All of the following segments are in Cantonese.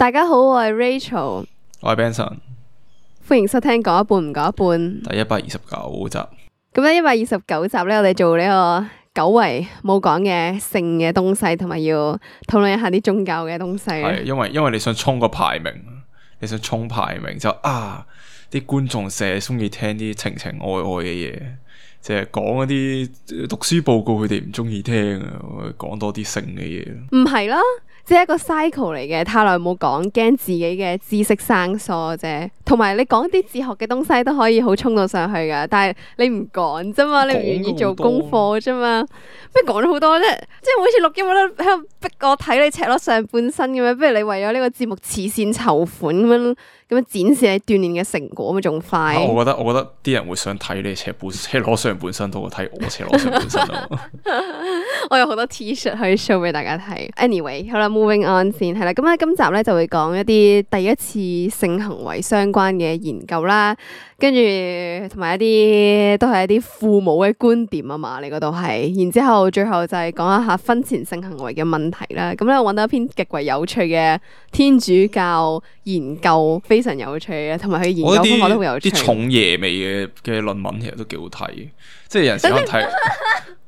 大家好，我係 Rachel，我係 Benson，歡迎收聽講一半唔講一半。第129集。咁咧129集咧，我哋做呢個久違冇講嘅性嘅東西，同埋要討論一下啲宗教嘅東西。係因為你想衝個排名，你想衝排名就啲觀眾成日中意聽啲情情愛愛嘅嘢，即係講嗰啲讀書報告佢哋唔中意聽啊，講多啲性嘅嘢。唔係啦。即係一個 cycle 嚟嘅，太耐冇講，驚自己嘅知識生疏啫。同埋你講啲哲學嘅東西都可以好衝到上去噶，但係你唔講啫嘛，你唔願意做功課啫嘛。咩講咗好多啫？即係每次錄音我都喺度逼我睇你赤裸上半身咁樣，不如你為咗呢個節目慈善籌款咁樣展示你鍛煉嘅成果咁仲快。我覺得啲人會想睇你赤裸上半身多過睇我赤裸上半身咯。我有好多 T-shirt 可以 show 俾大家睇。Anyway， 好啦，moving on 先係啦。咁咧今集咧就會講一啲第一次性行為相關嘅研究啦，跟住同埋一啲都係一啲父母嘅觀點啊嘛，你嗰度係。然之後最後就係講一下婚前性行為嘅問題啦。咁咧我揾到一篇極為有趣嘅天主教研究，非常有趣嘅，同埋佢研究方法都好有趣。啲重爺味嘅論文其實都幾好睇，即係有陣時可能睇。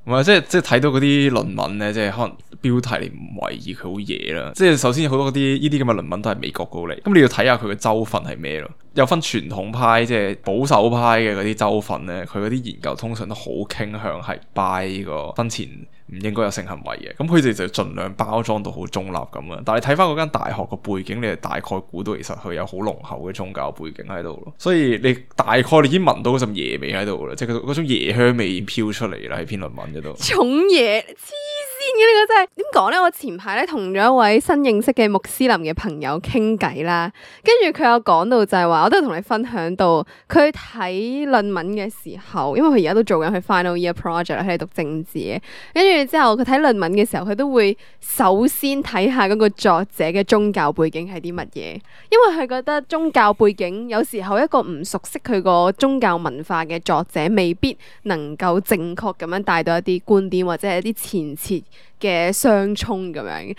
唔係，即係睇到嗰啲論文咧，即係可能標題你唔為意佢好嘢啦。即係首先好多嗰啲呢啲咁嘅論文都係美國過嚟，咁你要睇下佢嘅州份係咩咯？有分傳統派，即係保守派嘅嗰啲州份咧，佢嗰啲研究通常都好傾向係 buy 呢個婚前唔應該有性行為嘅。咁佢哋就盡量包裝到好中立咁啊。但係你睇翻嗰間大學個背景，你係大概估到其實佢有好濃厚嘅宗教背景喺度咯。所以你大概你已經聞到嗰陣爺味喺度啦，即係嗰種爺香味已經飄出嚟啦喺篇論文嗰度。重嘢黐線嘅呢個真係點講咧？我前排咧同咗一位新認識嘅穆斯林嘅朋友傾偈啦，跟住佢有講到就係話，我都係同你分享到佢睇論文嘅時候，因為佢而家都做緊佢 final year project，佢係讀政治嘅，跟住之後佢睇論文嘅時候，佢都會首先睇下嗰個作者嘅宗教背景係啲乜嘢，因為佢覺得宗教背景有時候一個唔熟悉佢個宗教文化嘅作者，未必能夠正確咁樣帶到一啲觀點或者係一啲前設嘅相衝咁樣，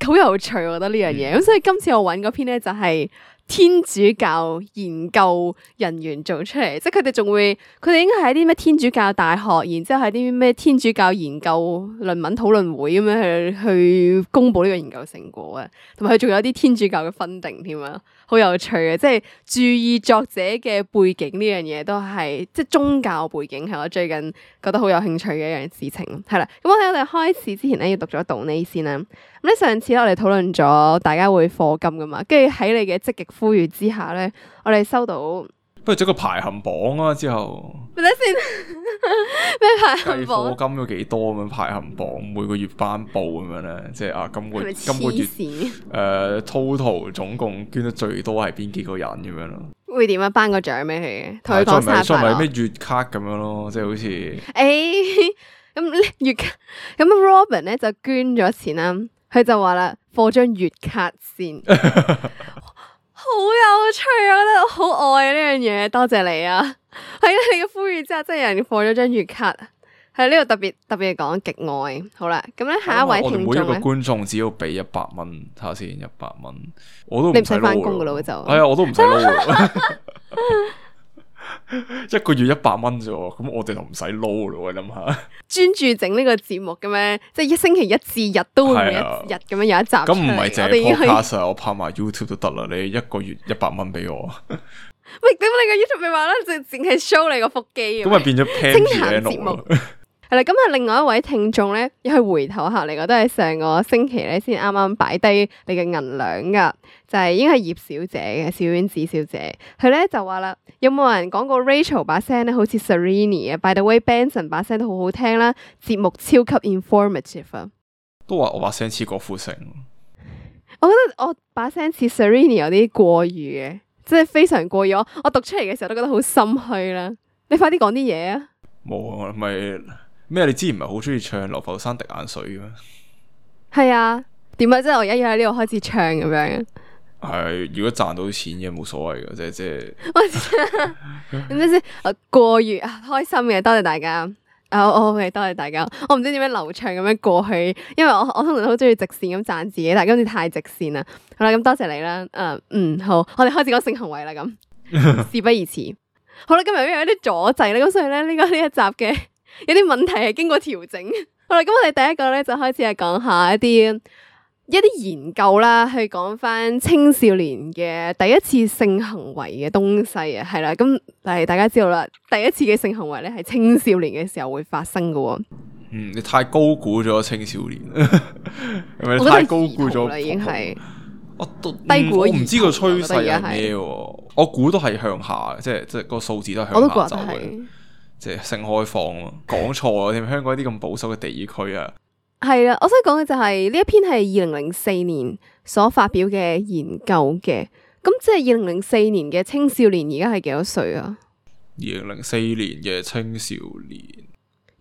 好有趣，我覺得呢樣嘢。咁所以今次我揾嗰篇咧就係天主教研究人員做出嚟，即係佢哋仲會，佢哋應該係一啲咩天主教大學，然之後係啲咩天主教研究論文討論會咁樣去公布呢個研究成果啊，同埋佢仲有啲天主教嘅分定添啊，好有趣嘅，即係注意作者嘅背景呢樣嘢都係，即係宗教背景係我最近覺得好有興趣嘅一樣事情。係啦，咁我哋開始之前咧要讀咗道呢先啦。咁咧上次咧我哋討論咗大家會課金噶嘛，跟住喺你嘅積極呼籲之下咧，我哋收到不如整個排行榜啊！之後咪睇先咩排行榜？計課金咗幾多咁樣排行榜，每個月頒布咁樣咧，即係今個月total 總共捐得最多係邊幾個人咁樣咯？會點啊？頒個獎俾佢嘅，同佢講生日快樂。再咪咩月卡咁樣咯，即係好似咁月卡咁 Robin 咧就捐咗錢啦，佢就話啦，課張月卡先。好有趣啊！我覺得好愛呢樣嘢，多謝你啊！喺你嘅呼籲之下，真係有人放咗張月卡，喺呢度特別講極愛。好啦，咁咧下一位聽眾咧，我哋每一個觀眾只要俾100蚊，睇下先100蚊，我都你唔使翻工噶咯就。係啊，我都唔使撈。一個月100蚊啫，咁我哋就唔使撈咯。你諗下，專注整呢個節目嘅咩？即係一星期一至日都會每一日咁樣有一集。咁唔係淨係 podcast 我拍埋 YouTube 都得啦。你一個月100蚊俾我。喂，點解你個 YouTube 咪話啦？淨係 show 你個腹肌。咁咪變咗 Pan 節目。係啦，咁啊，另外一位聽眾咧，又係回頭客嚟嘅，都係上個星期咧先啱啱擺低你嘅銀兩噶，就係應該係葉小姐嘅小丸子小姐，佢咧就話啦，有冇人講過 Rachel 把聲咧好似 Serrini 啊 ？By the way Benson 把聲都好好聽啦，節目超級 informative 啊！都話我把聲似郭富城，我覺得我把聲似 Serrini 有啲過譽嘅，即係非常過譽。我讀出嚟嘅時候都覺得好心虛啦。你快啲講啲嘢啊！冇啊，咪咩？你之前唔係好中意唱《流浮山滴眼水》嘅咩？係啊，點解即係我而家要喺呢度開始唱咁樣？係，如果賺到錢嘅冇所謂嘅，即係。點解先？過譽啊，開心嘅，多謝大家。OK，多謝大家。我唔知點樣流暢咁樣過去，因為我通常好中意直線咁讚自己，但係今次太直線啦。好啦，咁多謝你啦。好，我哋開始講性行為啦。咁事不宜遲。好啦，今日因為有啲阻滯咧，咁所以咧呢一集嘅有啲問題係經過調整。好啦，咁我哋第一個咧就開始係講下一啲研究啦，去講翻青少年嘅第一次性行為嘅東西啊，係啦，咁但係大家知道啦，第一次嘅性行為咧係青少年嘅時候會發生嘅。你太高估咗青少年，係咪太高估咗啦？已經係低估，我唔知個趨勢係咩，我估都係向下，即係個數字都係向下走嘅，即係性開放咯。講錯啊，添香港啲咁保守嘅地區啊。係啦，我想講嘅就係呢一篇係2004年所發表嘅研究嘅，咁即係2004年嘅青少年而家係幾多歲啊？2004年嘅青少年，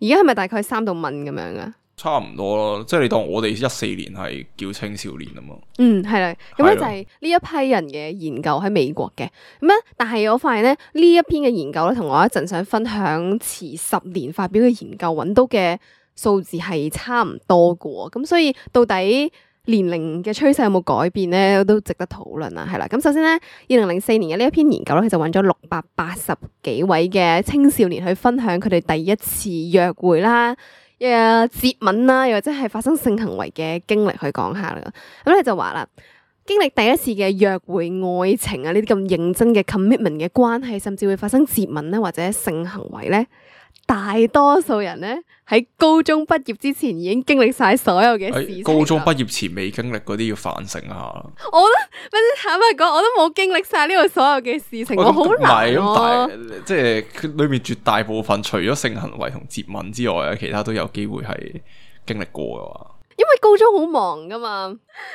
而家係咪大概3到5咁樣啊？差唔多咯，即係你當我哋14年係叫青少年啊嘛。係啦，咁咧就係呢一批人嘅研究喺美國嘅，咁咧，但係我發現咧呢一篇嘅研究咧，同我一陣想分享遲10年發表嘅研究揾到嘅數字係差唔多嘅，咁所以到底年齡嘅趨勢有冇改變咧，都值得討論啊。係啦，咁首先咧，2004年嘅呢一篇研究咧，佢就揾咗680幾位嘅青少年去分享佢哋第一次約會啦、接吻啦，又或者係發生性行為嘅經歷去講下啦。咁你就話啦，經歷第一次嘅約會、愛情啊呢啲咁認真嘅 commitment 嘅關係，甚至會發生接吻咧或者性行為咧。大多數人咧喺高中畢業之前已經經歷晒所有嘅事情。高中畢業前未經歷嗰啲要反省下。我坦白講，我都冇經歷晒呢個所有嘅事情，我好難咯。但係即係佢裏面絕大部分，除咗性行為同接吻之外，其他都有機會係經歷過嘅話。因為高中好忙噶嘛，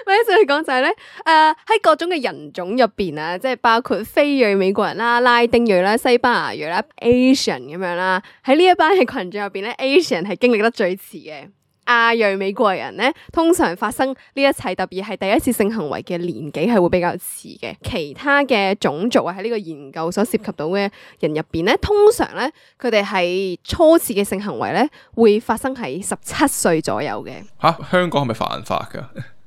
或者再講就係咧，喺各種嘅人種入邊啊，即係包括非裔美國人啦、拉丁裔啦、西班牙裔啦、Asian 咁樣啦，喺呢一班嘅群眾入邊咧，Asian 係經歷得最遲嘅。亞裔美國人咧，通常發生呢一切，特別係第一次性行為嘅年紀係會比較遲嘅。其他嘅種族啊，喺呢個研究所涉及到嘅人入邊咧，通常咧佢哋係初次嘅性行為咧會發生喺17歲左右嘅。香港係咪犯法噶？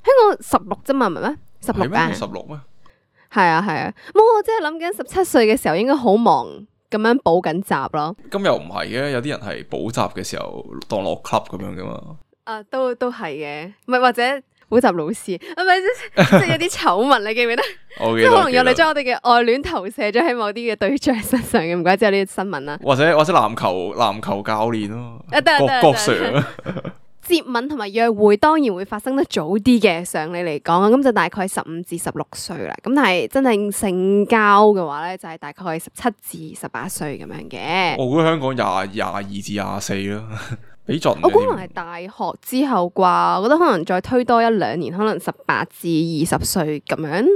香港16啫嘛，唔係咩？16啊？16咩？係啊係啊，我即係諗緊17歲嘅時候應該好忙咁樣補緊習咯。咁又唔係嘅，有啲人係補習嘅時候當落 club 咁樣噶嘛。都係嘅，唔係或者補習老師，係咪即係有啲醜聞你記唔記得？即係可能有你將我哋嘅愛戀投射咗喺某啲嘅對象身上嘅，唔怪之有呢啲新聞啦。或者籃球教練咯，郭 Sir。接吻同埋約會當然會發生得早啲嘅，常理嚟講，咁就大概15至16歲啦。咁但係真正性交嘅話咧，就係大概17至18歲咁樣嘅。我估香港22至24咯。我估可能係大學之後啩，我覺得可能再推多1-2年，可能18至20歲咁樣。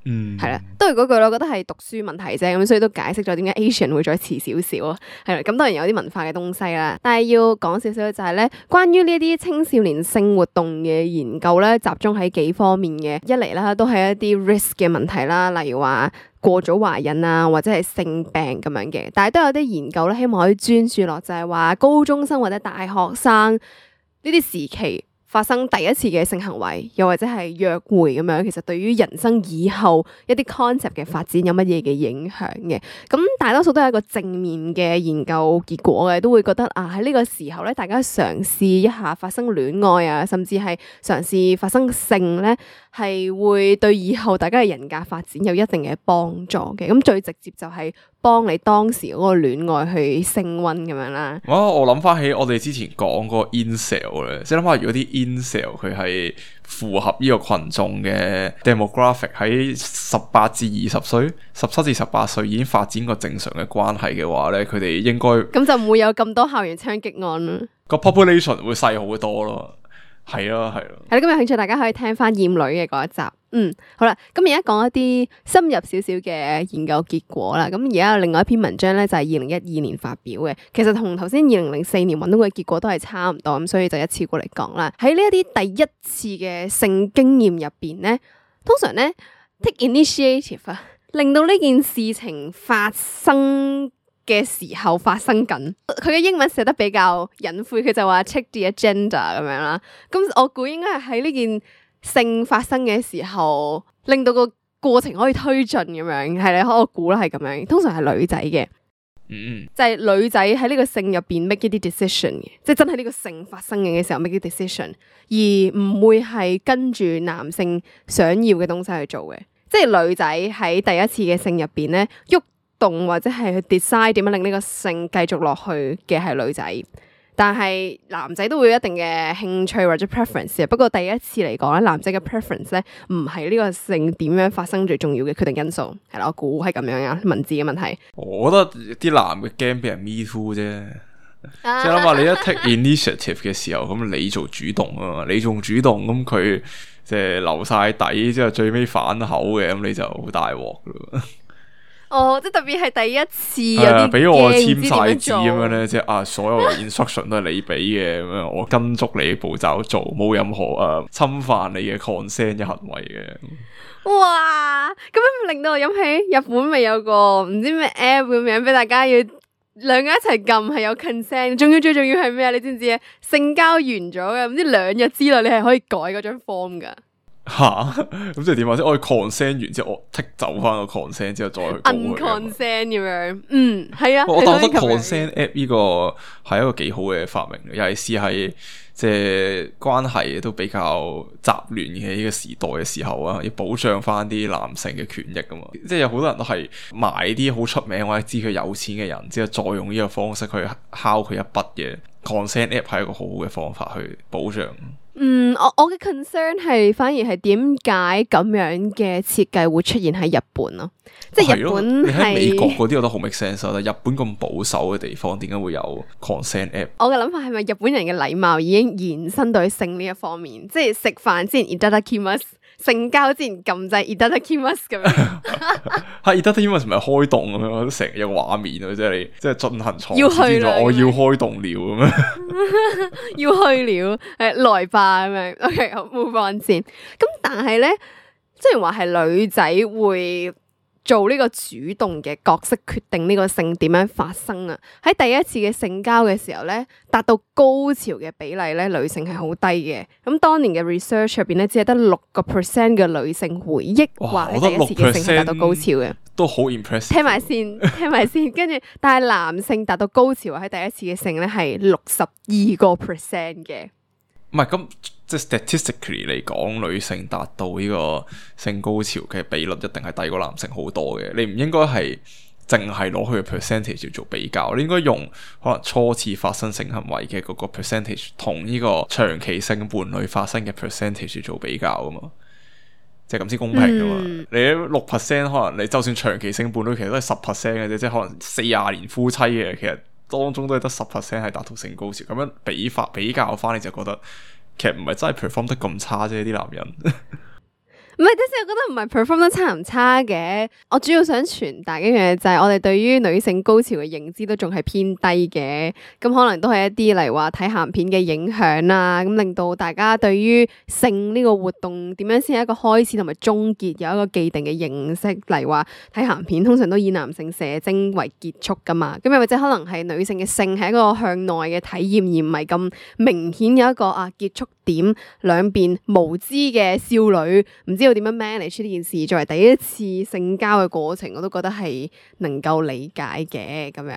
係啦，都係嗰句咯，我覺得係讀書問題啫，咁所以都解釋咗點解 Asian 會再遲少少啊。係啦，咁當然有啲文化嘅東西啦，但係要講少少就係咧，關於呢一啲青少年性活動嘅研究咧，集中喺幾方面嘅。一嚟啦，都係一啲 risk 嘅問題啦，例如話過早懷孕啊，或者係性病咁樣嘅。但係都有啲研究咧，希望可以專注落就係話高中生或者大學生呢啲時期發生第一次嘅性行為，又或者係約會咁樣，其實對於人生以後一啲 concept 嘅發展有乜嘢嘅影響嘅？咁大多數都係一個正面嘅研究結果嘅，都會覺得啊喺呢個時候咧，大家嘗試一下發生戀愛啊，甚至係嘗試發生性咧，係會對以後大家嘅人格發展有一定嘅幫助嘅。咁最直接就係幫你當時嗰個戀愛去升溫咁樣啦。我諗翻起我哋之前講嗰個 incel 咧，即係諗下如果啲 incel 佢係符合呢個群眾嘅 demographic， 喺18至20歲、17至18歲已經發展個正常嘅關係嘅話咧，佢哋應該咁就唔會有咁多校園槍擊案啦。個 population 會細好多咯。係咯。係啦，咁有興趣大家可以聽翻厭女嘅嗰一集。好啦，咁而家講一啲深入少少嘅研究結果啦。咁而家有另外一篇文章咧，就係2012年發表嘅。其實同頭先2004年揾到嘅結果都係差唔多，咁所以就一次過嚟講啦。喺呢一啲第一次嘅性經驗入邊咧，通常咧 take initiative 啊，令到呢件事情發生嘅時候發生緊。佢嘅英文寫得比較隱晦，佢就話 check the agenda 咁樣啦。咁我估應該係喺呢件性發生嘅時候，令到個過程可以推進咁樣。係咧，我估啦係咁樣。通常係女仔嘅。就係女仔喺呢個性入邊 make 一啲 decision 嘅，即係真係呢個性發生嘅時候 make 啲 decision，而唔會係跟住男性想要嘅東西去做嘅。即係女仔喺第一次嘅性入邊咧，喐動或者係去 decide 點樣令呢個性繼續落去嘅係女仔。但係男仔都會有一定嘅興趣或者 preference 嘅，不過第一次嚟講咧，男仔嘅 preference 咧唔係呢個性點樣發生最重要嘅決定因素，係啦，我估係咁樣啊，文字嘅問題。我覺得啲男嘅驚俾人 me too 啫，即係諗下你一 take initiative 嘅時候，咁你做主動啊嘛，你仲主動，咁佢即係留晒底之後最尾反口嘅，咁你就好大鑊咯。哦，即係特別係第一次有啲俾我簽晒嘢字咁樣咧，即係所有 instruction 都係你俾嘅，咁樣我跟足你步驟做，冇任何侵犯你嘅 consent 嘅行為嘅。哇！咁樣令到我諗起日本咪有個唔知咩 app 咁樣，俾大家要兩個一齊撳，係有 consent， 仲要最重要係咩啊？你知唔知啊？性交完咗嘅，唔知2日之內你係可以改嗰張 form 噶。吓，咁即係點啊？即係我 consent 完之後，我剔走翻個 consent 之後再去告佢。unconsent 咁樣，係啊。我覺得 consent app 呢個係一個幾好嘅發明，尤其是係即係關係都比較雜亂嘅呢個時代嘅時候啊，要保障翻啲男性嘅權益噶嘛。即係有好多人都係買啲好出名或者知佢有錢嘅人，之後再用呢個方式去敲佢一筆嘅 consent app 係一個好好嘅方法去保障。我嘅 concern 係反而係點解咁樣嘅設計會出現喺日本咯？即係日本你喺美國嗰啲我都好 make sense 啦。日本咁保守嘅地方，點解會有 consent app？我嘅諗法係咪日本人嘅禮貌已經延伸到去性呢一方面？即係食飯之前 itadakimasu，性交之前撳掣 itadakimasu 咁樣。係 itadakimasu 唔係開動咁樣，成日有畫面啊！即係你即係進行床要去啦，我要開動了咁樣，要去了，來吧咁樣。OK， 好 move on 先。咁但係咧，雖然話係女仔會做呢個主動嘅角色，決定呢個性點樣發生啊。喺第一次嘅性交嘅時候咧，達到高潮嘅比例咧，女性係好低嘅。咁當年嘅 research 入邊咧，只係得6% 嘅女性回憶話喺第一次嘅性係達到高潮嘅，都好 impressive。聽埋先，跟住，但係男性達到高潮喺第一次嘅性咧係62% 嘅。唔係咁，即係 statistically 嚟講，女性達到呢個性高潮嘅比率一定係低過男性好多嘅。你唔應該係淨係攞佢嘅 percentage 嚟做比較，你應該用可能初次發生性行為嘅嗰個 percentage 同呢個長期性伴侶發生嘅 percentage 嚟做比較啊嘛，即係咁先公平噶嘛。你6%可能你就算長期性伴侶其實都係10% 嘅啫，即係可能40年夫妻嘅其實。當中都係得10% 係達到性高潮，咁樣比較翻，你就覺得其實唔係真係 perform 得咁差啫，啲男人。唔係，即係我覺得唔係 perform 得差唔差嘅。我主要想傳達一樣嘢就係我哋對於女性高潮嘅認知都仲係偏低嘅。咁可能都係一啲例如話睇鹹片嘅影響啦，咁令到大家對於性呢個活動點樣先係一個開始同埋終結有一個既定嘅認識。例如話睇鹹片通常都以男性射精為結束噶嘛，咁又或者可能係女性嘅性係一個向內嘅體驗，而唔係咁明顯有一個結束點，兩邊無知嘅少女唔知道點樣 manage 呢件事，作為第一次性交嘅過程，我都覺得係能夠理解嘅咁樣。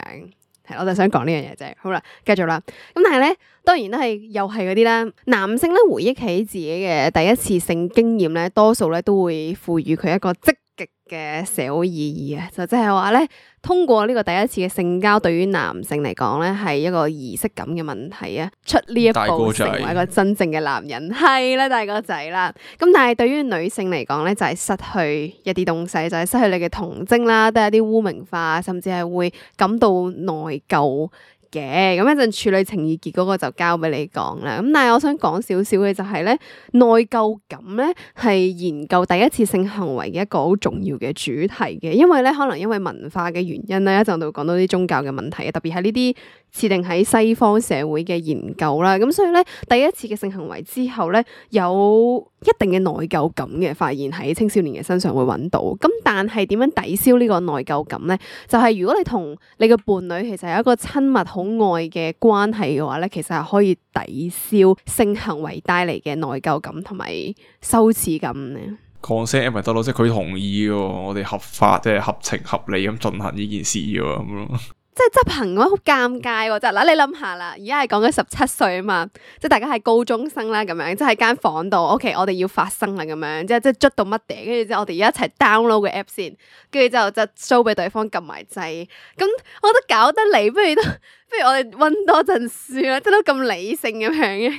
係，我就想講呢樣嘢啫。好啦，繼續啦。咁但係咧，當然都係又係嗰啲啦。男性咧回憶起自己嘅第一次性經驗咧，多數咧都會賦予佢一個積極嘅社會意義啊。就即係話咧，通過呢個第一次嘅性交，對於男性嚟講咧係一個儀式感嘅問題啊。出呢一步成為一個真正嘅男人，係啦，大個仔啦。咁但係對於女性嚟講咧，就係失去一啲東西，就係失去你嘅童貞啦，都係一啲污名化，甚至係會感到內疚嘅。咁一陣處女情意結嗰個就交俾你講啦。咁但係我想講少少嘅就係咧，內疚感咧係研究第一次性行為嘅一個好重要嘅主題嘅。因為咧可能因為文化嘅原因咧，一陣就會講到啲宗教嘅問題，特別係呢啲設定喺西方社會嘅研究啦。咁所以咧第一次嘅性行為之後咧，有一定嘅內疚感嘅，發現喺青少年嘅身上會揾到。咁但係點樣抵消呢個內疚感咧？就係如果你同你嘅伴侶其實有一個親密好愛嘅關係嘅話咧，其實係可以抵消性行為帶嚟嘅內疚感同埋羞恥感嘅。consent 咪得咯，即係佢同意嘅，我哋合法即係合情合理咁進行呢件事嘅咁咯。即係執行嘅話好尷尬喎，就嗱你諗下啦，而家係講緊17歲啊嘛，即係大家係高中生啦咁樣，即係喺間房度，OK，我哋要發生啦咁樣，即係捉到乜嘢，跟住之後我哋而家一齊 download 個 app 先，跟住之後就 show 俾對方撳埋掣，咁我覺得搞得嚟，不如我哋溫多陣書啦，即係都咁理性咁樣嘅，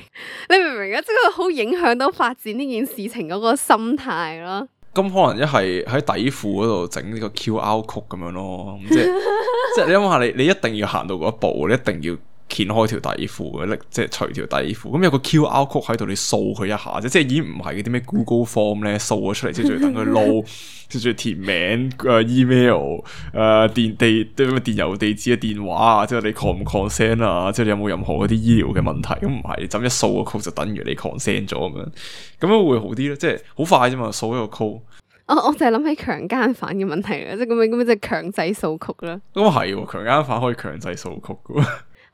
你明唔明啊？即係好影響到發展呢件事情嗰個心態咯。咁可能一係喺底褲嗰度整呢個 QR code 咁樣咯，即係你諗下，你一定要行到嗰一步，你一定要掀開條底褲，即係除條底褲。咁有個 QR code 喺度，你掃佢一下啫，即係已經唔係嗰啲咩 Google Form 咧掃咗出嚟，即係仲要等佢撈，即係仲要填名、email、電郵地址啊、電話啊，即係你 con 唔 consent 啊，即係你有冇任何嗰啲醫療嘅問題？咁唔係，你就一掃個 code 就等於你 consent 咗咁樣會好啲咯，即係好快啫嘛，掃一個 code。我就係諗起強姦犯嘅問題啦，即係咁樣即係強制掃曲啦。咁係，強姦犯可以強制掃曲噶。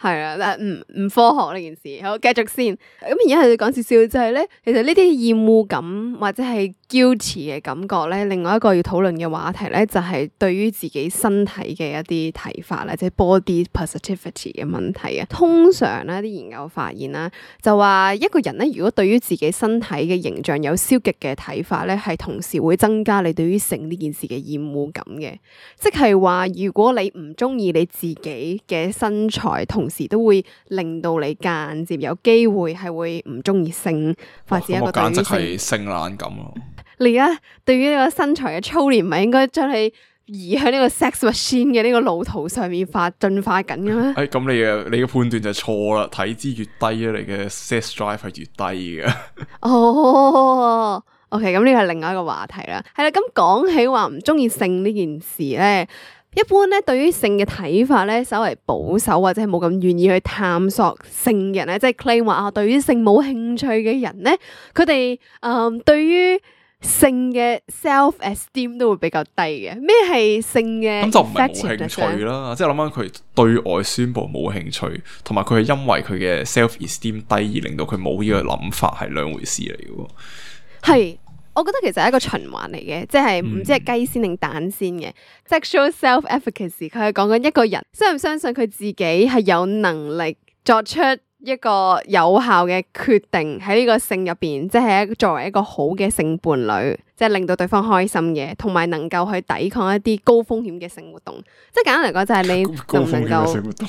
係啊，但係唔科學呢件事。好，繼續先。咁而家係講少少就係咧，其實呢啲厭惡感或者係 guilty 嘅感覺咧，另外一個要討論嘅話題咧，就係對於自己身體嘅一啲睇法啦，即係 body positivity 嘅問題啊。通常咧，啲研究發現啦，就話一個人咧，如果對於自己身體嘅形象有消極嘅睇法咧，係同時會增加你對於性呢件事嘅厭惡感嘅。即係話，如果你唔中意你自己嘅身材，同時都會令到你間接有機會係會唔中意性，發展一個對於性。簡直係性冷感咯。你而家對於呢個身材嘅操練，唔係應該將你移向呢個 sex machine 嘅呢個路途上面進化緊嘅咩？咁你嘅判斷就錯啦，體脂越低咧，你嘅 sex drive 係越低嘅。哦，OK，咁呢個係另外一個話題啦。係啦，咁講起話唔中意性呢件事咧。一般咧，對於性嘅睇法咧，稍為保守或者係冇咁願意去探索性嘅人咧，即係 claim 話對於性冇興趣嘅人咧，佢哋對於性嘅 self esteem 都會比較低嘅。咩係性嘅？咁就唔係冇興趣啦，即係諗翻佢對外宣布冇興趣，同埋佢係因為佢嘅 self esteem 低而令到佢冇呢個諗法，係兩回事嚟嘅。係。我覺得其實係一個循環嚟嘅，即係唔知係雞先定蛋先嘅。Sexual self-efficacy， 佢係講緊一個人相唔相信佢自己係有能力作出一個有效嘅決定喺呢個性入邊，即係作為一個好嘅性伴侶，即係令到對方開心嘅，同埋能夠去抵抗一啲高風險嘅性活動。即係簡單嚟講，就係你能唔能夠？性活動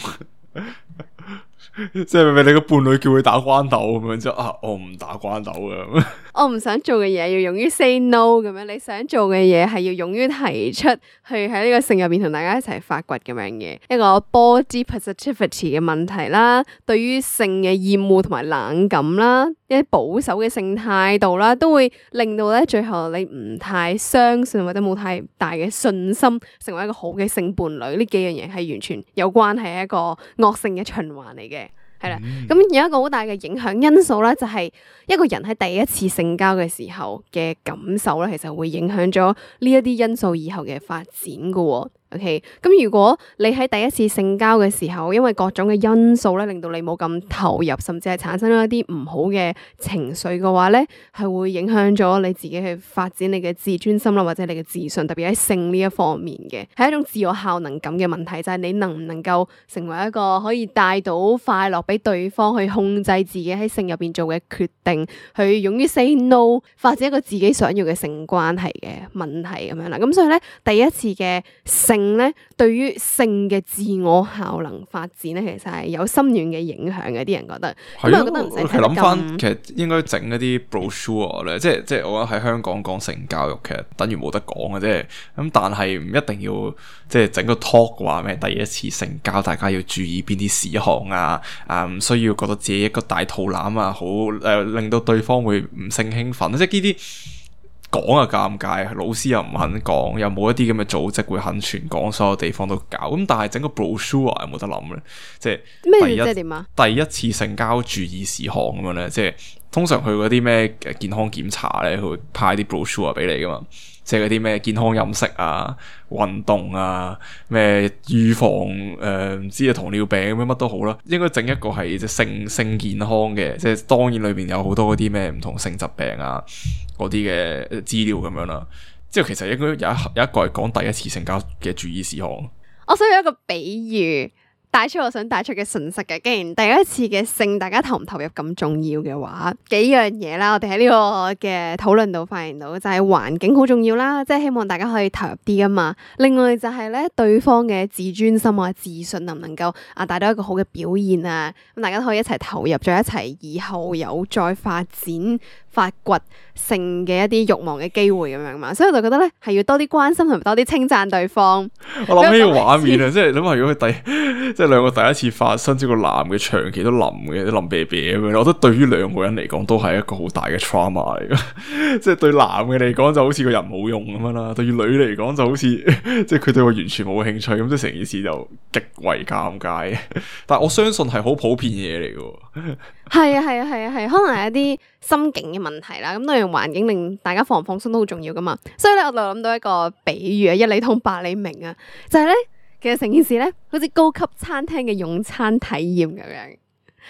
即係咪你個伴侶叫佢打關鬥咁樣之後我唔打關鬥嘅。我唔想做嘅嘢要勇於 say no 咁樣，你想做嘅嘢係要勇於提出去喺呢個性入邊同大家一齊發掘咁樣嘅一個 body positivity 嘅問題啦，對於性嘅厭惡同埋冷感啦，一啲保守嘅性態度啦，都會令到咧最後你唔太相信或者冇太大嘅信心成為一個好嘅性伴侶。呢幾樣嘢係完全有關係，係一個惡性嘅循環嚟嘅。係啦，咁有一個好大嘅影響因素咧，就係一個人喺第一次性交嘅時候嘅感受咧，其實會影響咗呢一啲因素以後嘅發展噶。OK， 咁如果你喺第一次性交嘅時候，因為各種嘅因素咧，令到你冇咁投入，甚至係產生咗一啲唔好嘅情緒嘅話咧，係會影響咗你自己去發展你嘅自尊心啦，或者你嘅自信，特別喺性呢一方面嘅，係一種自我效能感嘅問題，就係你能唔能夠成為一個可以帶到快樂俾對方，去控制自己喺性入邊做嘅決定，去勇於 say no， 發展一個自己想要嘅性關係嘅問題咁樣啦。咁所以咧，第一次嘅性咧，對於性嘅自我效能發展咧，其實係有深遠嘅影響嘅。啲人覺得，咁我覺得唔使睇諗翻，其實應該整一啲 brochure 咧，即係我覺得喺香港講性教育，其實等於冇得講嘅啫。咁但係唔一定要即係整個 talk 話咩第一次性交，大家要注意邊啲事項啊，唔需要覺得自己一個大肚腩啊，好令到對方會唔性興奮，即係呢啲。講啊尷尬，老師又唔肯講，又冇一啲咁嘅組織會肯全港所有地方都搞。咁但係整個 brochure 有冇得諗咧？即係咩？即係點啊？第一次性交注意事項咁樣咧，即係通常佢嗰啲咩健康檢查咧，佢會派啲 brochure 俾你噶嘛，即係嗰啲咩健康飲食啊、運動啊、咩預防唔知啊糖尿病咁樣乜都好啦，應該整一個係即係性健康嘅，即係當然裏邊有好多嗰啲咩唔同性疾病啊嗰啲嘅資料咁樣啦。之後其實應該有一個係講第一次性交嘅注意事項。我想有一個比喻帶出我想帶出嘅信息嘅。既然第一次嘅性大家投唔投入咁重要嘅話，幾樣嘢啦，我哋喺呢個嘅討論度發現到就係環境好重要啦，即係希望大家可以投入啲啊嘛。另外就係咧對方嘅自尊心啊、自信能唔能夠帶到一個好嘅表現啊，咁大家都可以一齊投入，再一齊以後有再發展發掘性嘅一啲慾望嘅機會咁樣嘛，所以我就覺得咧係要多啲關心同埋多啲稱讚對方。我諗呢個畫面啊，即係諗下如果佢即係兩個第一次發生，即係個男嘅長期都淋嘅，都淋啤啤咁樣，我覺得對於兩個人嚟講都係一個好大嘅 trauma 嚟嘅。即係對男嘅嚟講就好似個人冇用咁樣啦，對於女嚟講就好似即係佢對我完全冇興趣咁，即係成件事就極為尷尬。但係我相信係好普遍嘢嚟嘅。係啊，可能係一啲心境嘅問題啦。咁當然環境令大家放唔放鬆都好重要噶嘛。所以咧，我就諗到一個比喻啊，一理通百理明啊，就係咧，其實成件事咧，好似高級餐廳嘅用餐體驗咁樣。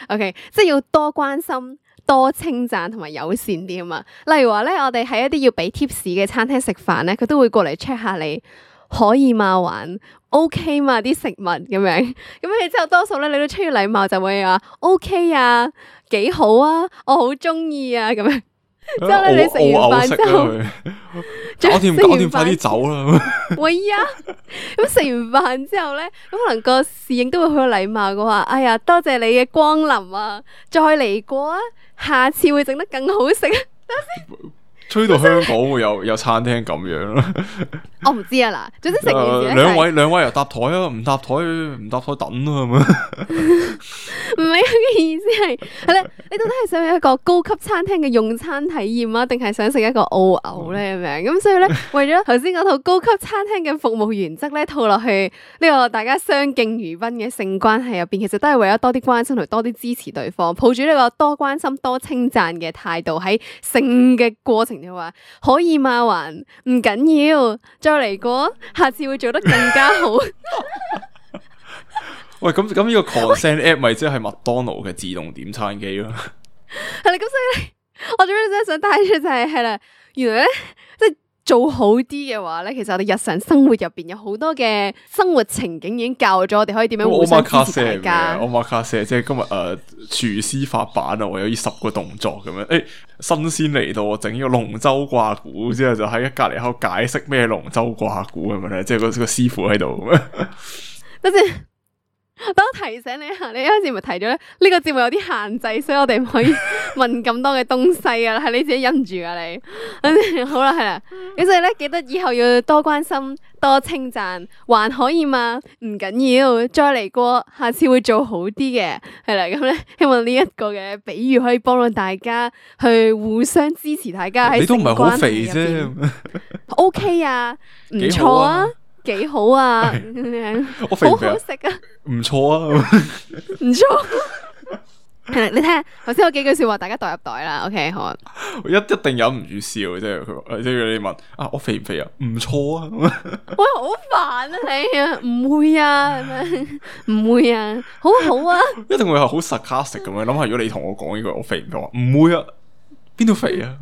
OK， 即係要多關心、多稱讚同埋友善啲啊嘛。例如話咧，我哋喺一啲要俾 tips 嘅餐廳食飯咧，佢都會過嚟 check 下你可以嘛，還 OK 嘛啲食物咁樣。咁你之後多數咧，你都出於禮貌就會話 OK 啊，幾好啊，我好中意啊咁樣。之後咧，你食完飯之後，搞掂，快啲走啦！喂呀，咁食完飯之後咧，咁可能個侍應都會好有禮貌嘅話，哎呀，多謝你嘅光臨啊，再嚟過啊，下次會整得更好食啊！吹到香港會有餐廳咁樣啦，我唔知啊嗱，總之成件事兩位又搭台啊，唔搭台等啊，係咪？唔係嘅意思係咧，你到底係想有一個高級餐廳嘅用餐體驗啊，定係想食一個澳牛咧咁樣？咁所以咧，為咗頭先嗰套高級餐廳嘅服務原則咧，套落去呢個大家相敬如賓嘅性關係入邊，其實都係為咗多啲關心同多啲支持對方，抱住呢個多關心多稱讚嘅態度喺性嘅過程就話可以嘛，還唔緊要，再嚟過，下次會做得更加好。喂，咁呢個 consent app 咪即係麥當勞嘅自動點餐機咯？係啦，咁所以咧，我最尾真係想帶出就係啦，原來咧即係做好啲嘅話咧，其實我哋日常生活入邊有好多嘅生活情景已經教咗我哋可以點樣互相支持大家。Omakase 即係今日廚師發版啊，我有呢10個動作咁樣。新鮮嚟到，我整呢個龍舟掛鼓之後，就喺隔籬口解釋咩龍舟掛鼓咁樣咧，即係個師傅喺度咁樣。等陣。等我提醒你一下，你一開始咪提咗咧，呢個節目有啲限制，所以我哋唔可以問咁多嘅東西啊，係你自己忍住啊你。好啦，係啦，咁所以咧，記得以後要多關心、多稱讚，還可以嘛？唔緊要，再嚟過，下次會做好啲嘅。係啦，咁咧，希望呢一個嘅比喻可以幫到大家去互相支持，大家喺性關係入邊。你都唔係好肥啫，OK 啊，唔錯啊。幾好啊！我肥唔肥啊？好好食啊！唔錯啊！唔錯。係啦，你睇下頭先有幾句說話，大家袋入袋啦。OK， 好啊。我一定忍唔住笑，即係佢，即係你問啊，我肥唔肥啊？唔錯啊！喂，好煩啊你啊，唔會啊，唔會啊，好好啊。一定會係好 sarcastic 咁樣諗下，如果你同我講呢句，我肥唔肥啊？唔會啊，邊度肥啊？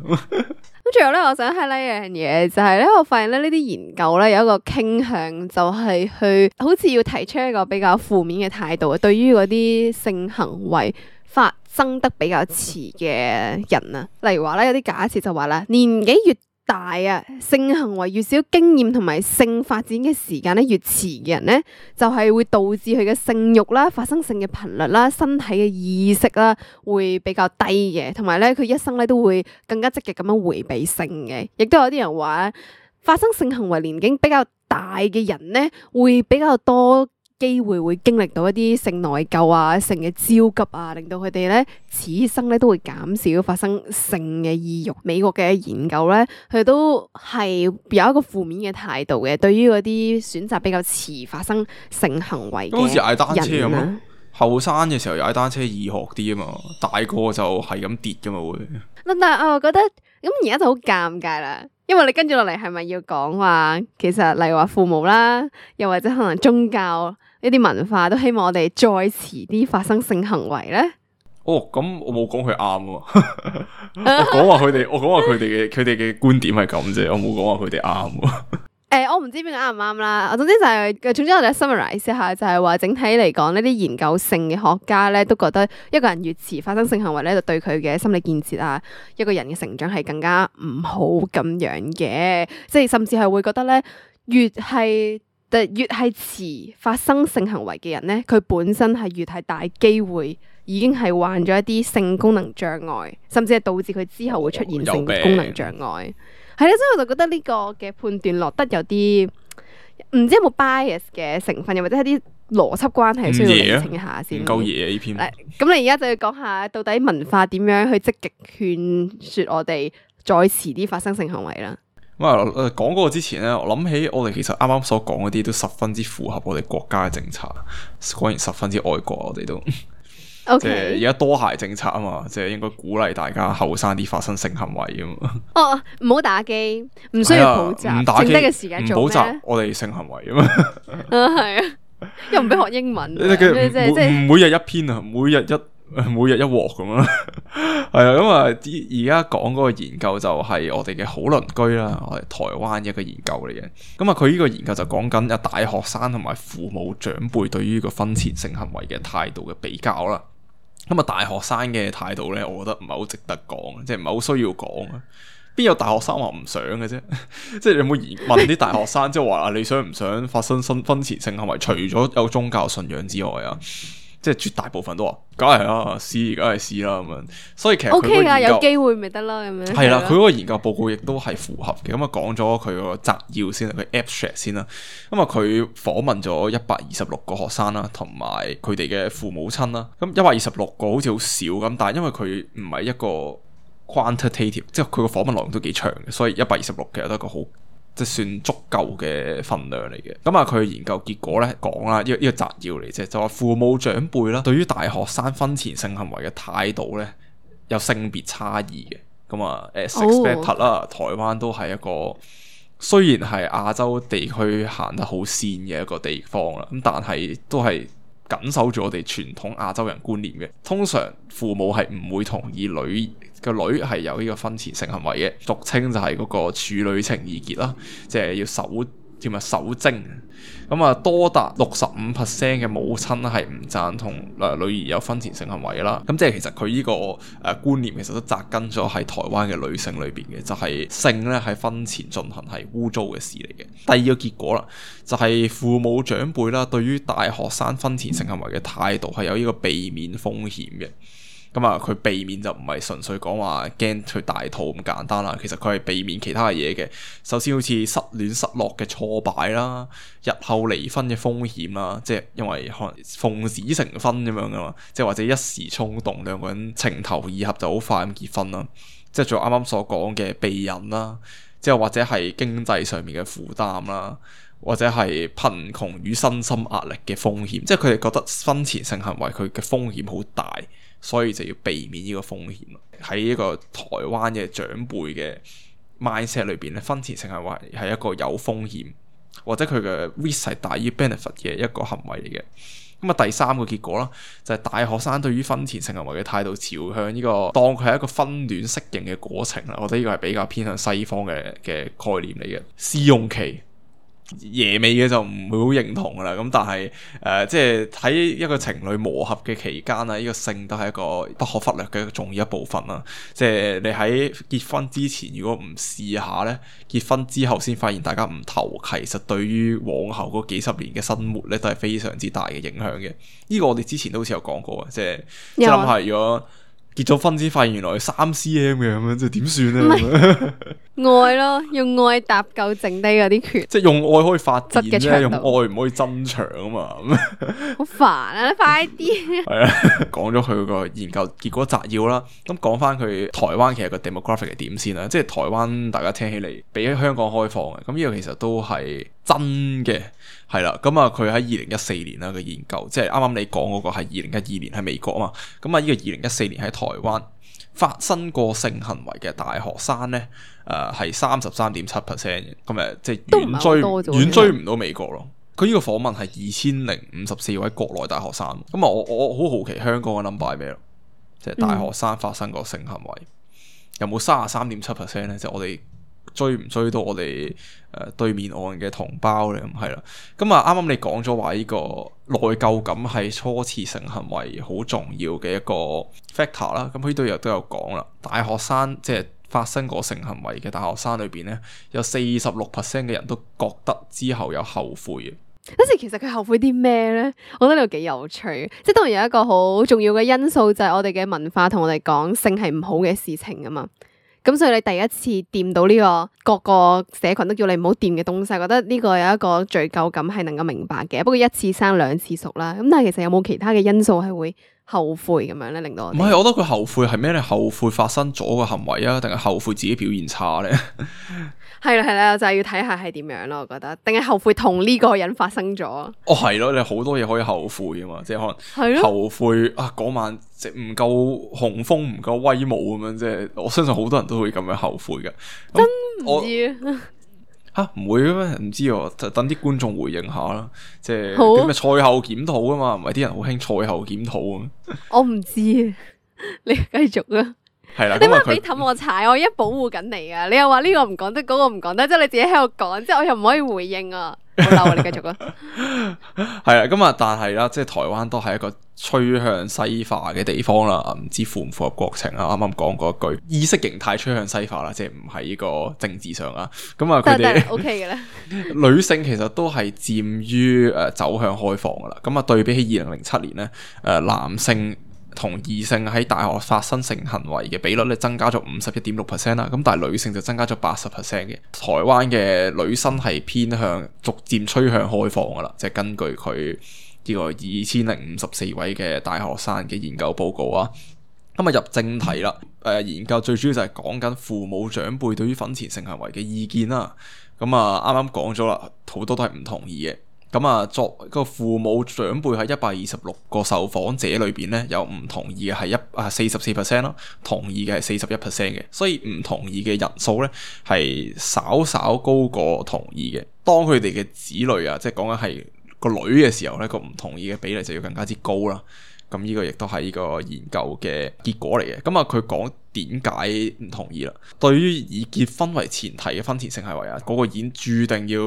咁最後咧，我想 highlight 一樣嘢，就係咧，我發現咧呢啲研究咧有一個傾向，就係去好似要提出一個比較負面嘅態度，對於嗰啲性行為發生得比較遲嘅人啊。例如話咧，有啲假設就話啦，年紀越大啊，性行為越少經驗同埋性發展嘅時間咧越遲嘅人咧，就係會導致佢嘅性慾啦、發生性嘅頻率啦、身體嘅意識啦會比較低嘅，同埋咧佢一生咧都會更加積極咁樣迴避性嘅。亦都有啲人話，發生性行為年紀比較大嘅人咧會比較多機會會經歷到一啲性內疚啊、性嘅焦急啊，令到佢哋咧此生咧都會減少發生性嘅意欲。美國嘅研究咧，佢都係有一個負面嘅態度嘅，對於嗰啲選擇比較遲發生性行為嘅人，好似踩單車咁咯。後生嘅時候踩單車易學啲啊嘛，大個就係咁跌噶嘛會。但係我又覺得咁而家就好尷尬啦，因為你跟住落嚟係咪要講話，其實例如話父母啦，又或者可能宗教呢啲文化都希望我哋再遲啲發生性行為咧？哦，咁我冇講佢啱喎，我講話佢哋嘅觀點係咁啫，我冇講話佢哋啱喎。我唔知邊個啱唔啱啦。總之就係，總之我哋 summarize 一下，就係話整體嚟講呢啲研究性嘅學家咧，都覺得一個人越遲發生性行為咧，就對佢嘅心理建設啊，一個人嘅成長係更加唔好咁樣嘅。即係甚至係會覺得咧，越係遲發生性行為嘅人咧，佢本身係越係大機會已經係患咗一啲性功能障礙，甚至係導致佢之後會出現性功能障礙。係啦，所以我就覺得呢個嘅判斷落得有啲唔知有冇 bias 嘅成分，又或者係啲邏輯關係需要釐清一下先。唔夠嘢呢篇。咁你而家就要講下到底文化點樣去積極勸說我哋再遲啲發生性行為啦。咁啊，講嗰個之前咧，我諗起我哋其實啱啱所講嗰啲都十分之符合我哋國家嘅政策，果然十分之愛國，我哋都。Okay. 即係而家多孩政策啊嘛，即係應該鼓勵大家後生啲發生性行為啊嘛。哦，唔好打機，唔需要補習，唔打機，剩低嘅時間做咩？唔補習，我哋性行為啊嘛。係啊，又唔俾學英文，即係每日一篇啊，每日一鑊咁啦。係啊，咁啊，而家講嗰個研究就係我哋嘅好鄰居啦，我哋台灣一個研究嚟嘅。咁啊，佢呢個研究就講緊有大學生同埋父母長輩對於個婚前性行為嘅態度嘅比較啦。咁啊，大學生嘅態度咧，我覺得唔係好值得講，即係唔係好需要講啊。邊有大學生話唔想嘅啫？即係你有冇問啲大學生，即係話你想唔想發生婚前性行為？除咗有宗教信仰之外啊，即係絕大部分都話，梗係啦，試梗係試啦咁樣。所以其實 OK 噶，有機會咪得咯咁樣。係啦，佢嗰個研究報告亦都係符合嘅。咁啊，講咗佢個摘要先，佢 abstract 先啦。咁啊，佢訪問咗126個學生啦，同埋佢哋嘅父母親啦。咁126個好似好少咁，但係因為佢唔係一個 quantitative，即係佢個訪問內容都幾長嘅，所以126其實都係一個好即係算足夠嘅份量嚟嘅。咁啊，佢研究結果咧講啦，呢個摘要嚟啫，就話父母長輩啦，對於大學生婚前性行為嘅態度咧有性別差異嘅。咁啊，expected 啦，台灣都係一個雖然係亞洲地區行得好先嘅一個地方啦，咁但係都係緊守住我哋傳統亞洲人觀念嘅。通常父母係唔會同意個女係有呢個婚前性行為嘅，俗稱就係嗰個處女情意結啦，即係要守貞。咁啊，多達65% 嘅母親係唔贊同女兒有婚前性行為啦。咁即係其實佢呢個觀念其實都扎根咗喺台灣嘅女性裏邊嘅，就係性咧喺婚前進行係污糟嘅事嚟嘅。第二個結果啦，就係父母長輩啦，對於大學生婚前性行為嘅態度係有呢個避免風險嘅。咁啊，佢避免就唔係純粹講話驚佢大肚咁簡單啦，其實佢係避免其他嘅嘢嘅。首先好似失戀失落嘅挫敗啦，日後離婚嘅風險啦，即係因為可能奉子成婚咁樣噶嘛，即係或者一時衝動兩個人情投意合就好快咁結婚啦，即係仲有啱啱所講嘅避孕啦，之後或者係經濟上面嘅負擔啦，或者係貧窮與身心壓力嘅風險，即係佢哋覺得婚前性行為佢嘅風險好大。所以就要避免呢個風險。喺呢個台灣嘅長輩嘅 mindset 裏邊咧，婚前性行為係一個有風險或者佢嘅 risk 係大於 benefit 嘅一個行為嚟嘅。咁啊，第三個結果啦，就係大學生對於婚前性行為嘅態度朝向呢個當佢係一個婚戀適應嘅過程啦。我覺得呢個係比較偏向西方嘅概念嚟嘅。試用期爺味嘅就唔會好認同噶啦，咁但係即係喺一個情侶磨合嘅期間啊，呢個性都係一個不可忽略嘅重要一部分啦。即係你喺結婚之前如果唔試下咧，結婚之後先發現大家唔投契，其實對於往後嗰幾十年嘅生活咧都係非常之大嘅影響嘅。呢個我哋之前都好似有講過嘅，即係諗下如果結咗婚先發現原來3cm 嘅咁樣，即係點算咧？愛咯，用愛搭救剩低嗰啲權，即係用愛可以發電啫，質嘅長度用愛唔可以增長啊嘛。好煩啊！你快啲。係啊，講咗佢個研究結果摘要啦。咁講翻佢台灣其實個 demographic 係點先啦？即係台灣大家聽起嚟比起香港開放嘅，咁呢個其實都係真嘅，係啦。咁啊，佢喺2014年啦嘅研究，即係啱啱你講嗰個係2012年喺美國啊嘛。咁啊，呢個2014年喺台灣發生過性行為嘅大學生咧，係33.7%嘅，咁即係遠追唔到美國咯。佢呢個訪問係2054位國內大學生，咁啊我好好奇香港嘅 number 係咩咯？即係大學生發生過性行為，有冇33.7% 咧？即係我哋追唔追到我哋對面岸嘅同胞咧？咁係啦，咁啊啱啱你講咗話呢個內疚感係初次性行為好重要嘅一個 factor 啦。咁佢呢度又都有講啦，大學生即係發生過性行為嘅大學生裏邊咧，有46% 嘅人都覺得之後有後悔嘅。嗰時其實佢後悔啲咩咧？我覺得呢個幾有趣，即係當然有一個好重要嘅因素就係我哋嘅文化同我哋講性係唔好嘅事情啊嘛。咁所以你第一次掂到呢個各個社群都叫你唔好掂嘅東西，覺得呢個有一個罪疚感係能夠明白嘅。不過一次生兩次熟啦，咁但係其實有冇其他嘅因素係會後悔咁樣咧，令到我哋？唔係，我覺得佢後悔係咩咧？後悔發生咗個行為啊，定係後悔自己表現差咧？係啦係啦，就係要睇下係點樣咯。我覺得，定係後悔同呢個人發生咗？哦，係咯，你好多嘢可以後悔噶嘛，即係可能後悔啊嗰晚即係唔夠雄風，唔夠威武咁樣，即係我相信好多人都會咁樣後悔嘅。真唔知啊？唔會嘅咩？唔知喎，就等啲觀眾回應下啦。即係好點嘅賽後檢討啊嘛，唔係啲人好興賽後檢討啊。我唔知啊，你繼續啊。係啦，你咪俾氹我踩，我一保護緊你啊！你又話呢個唔講得，嗰個唔講得，即係你自己喺度講，即係我又唔可以回應啊！好嬲啊！你繼續啊！係啦，咁啊，但係啦，即係台灣都係一個趨向西化嘅地方啦，唔知符唔符合國情啊？啱啱講過一句意識形態趨向西化啦，即係唔係呢個政治上啊？咁啊，佢哋 OK 嘅咧。女性其實都係佔於走向開放噶啦。咁啊，對比起2007年咧，男性同異性喺大學發生性行為嘅比率咧增加咗51.6% 啦，咁但係女性就增加咗80% 嘅。台灣嘅女生係偏向逐漸趨向開放噶啦，即係根據佢呢個2054位嘅大學生嘅研究報告啊。咁啊入正題啦，研究最主要就係講緊父母長輩對於婚前性行為嘅意見啦。咁啊啱啱講咗啦，好多都係唔同意嘅。咁啊，作個父母長輩喺126個受訪者裏邊咧，有唔同意嘅係44% 啦，同意嘅係41% 嘅，所以唔同意嘅人數咧係稍稍高過同意嘅。當佢哋嘅子女啊，即係講緊係個女嘅時候咧，個唔同意嘅比例就要更加之高啦。咁呢個亦都係呢個研究嘅結果嚟嘅。咁啊，佢講點解唔同意啦？對於以結婚為前提嘅婚前性行為啊，嗰個已經注定要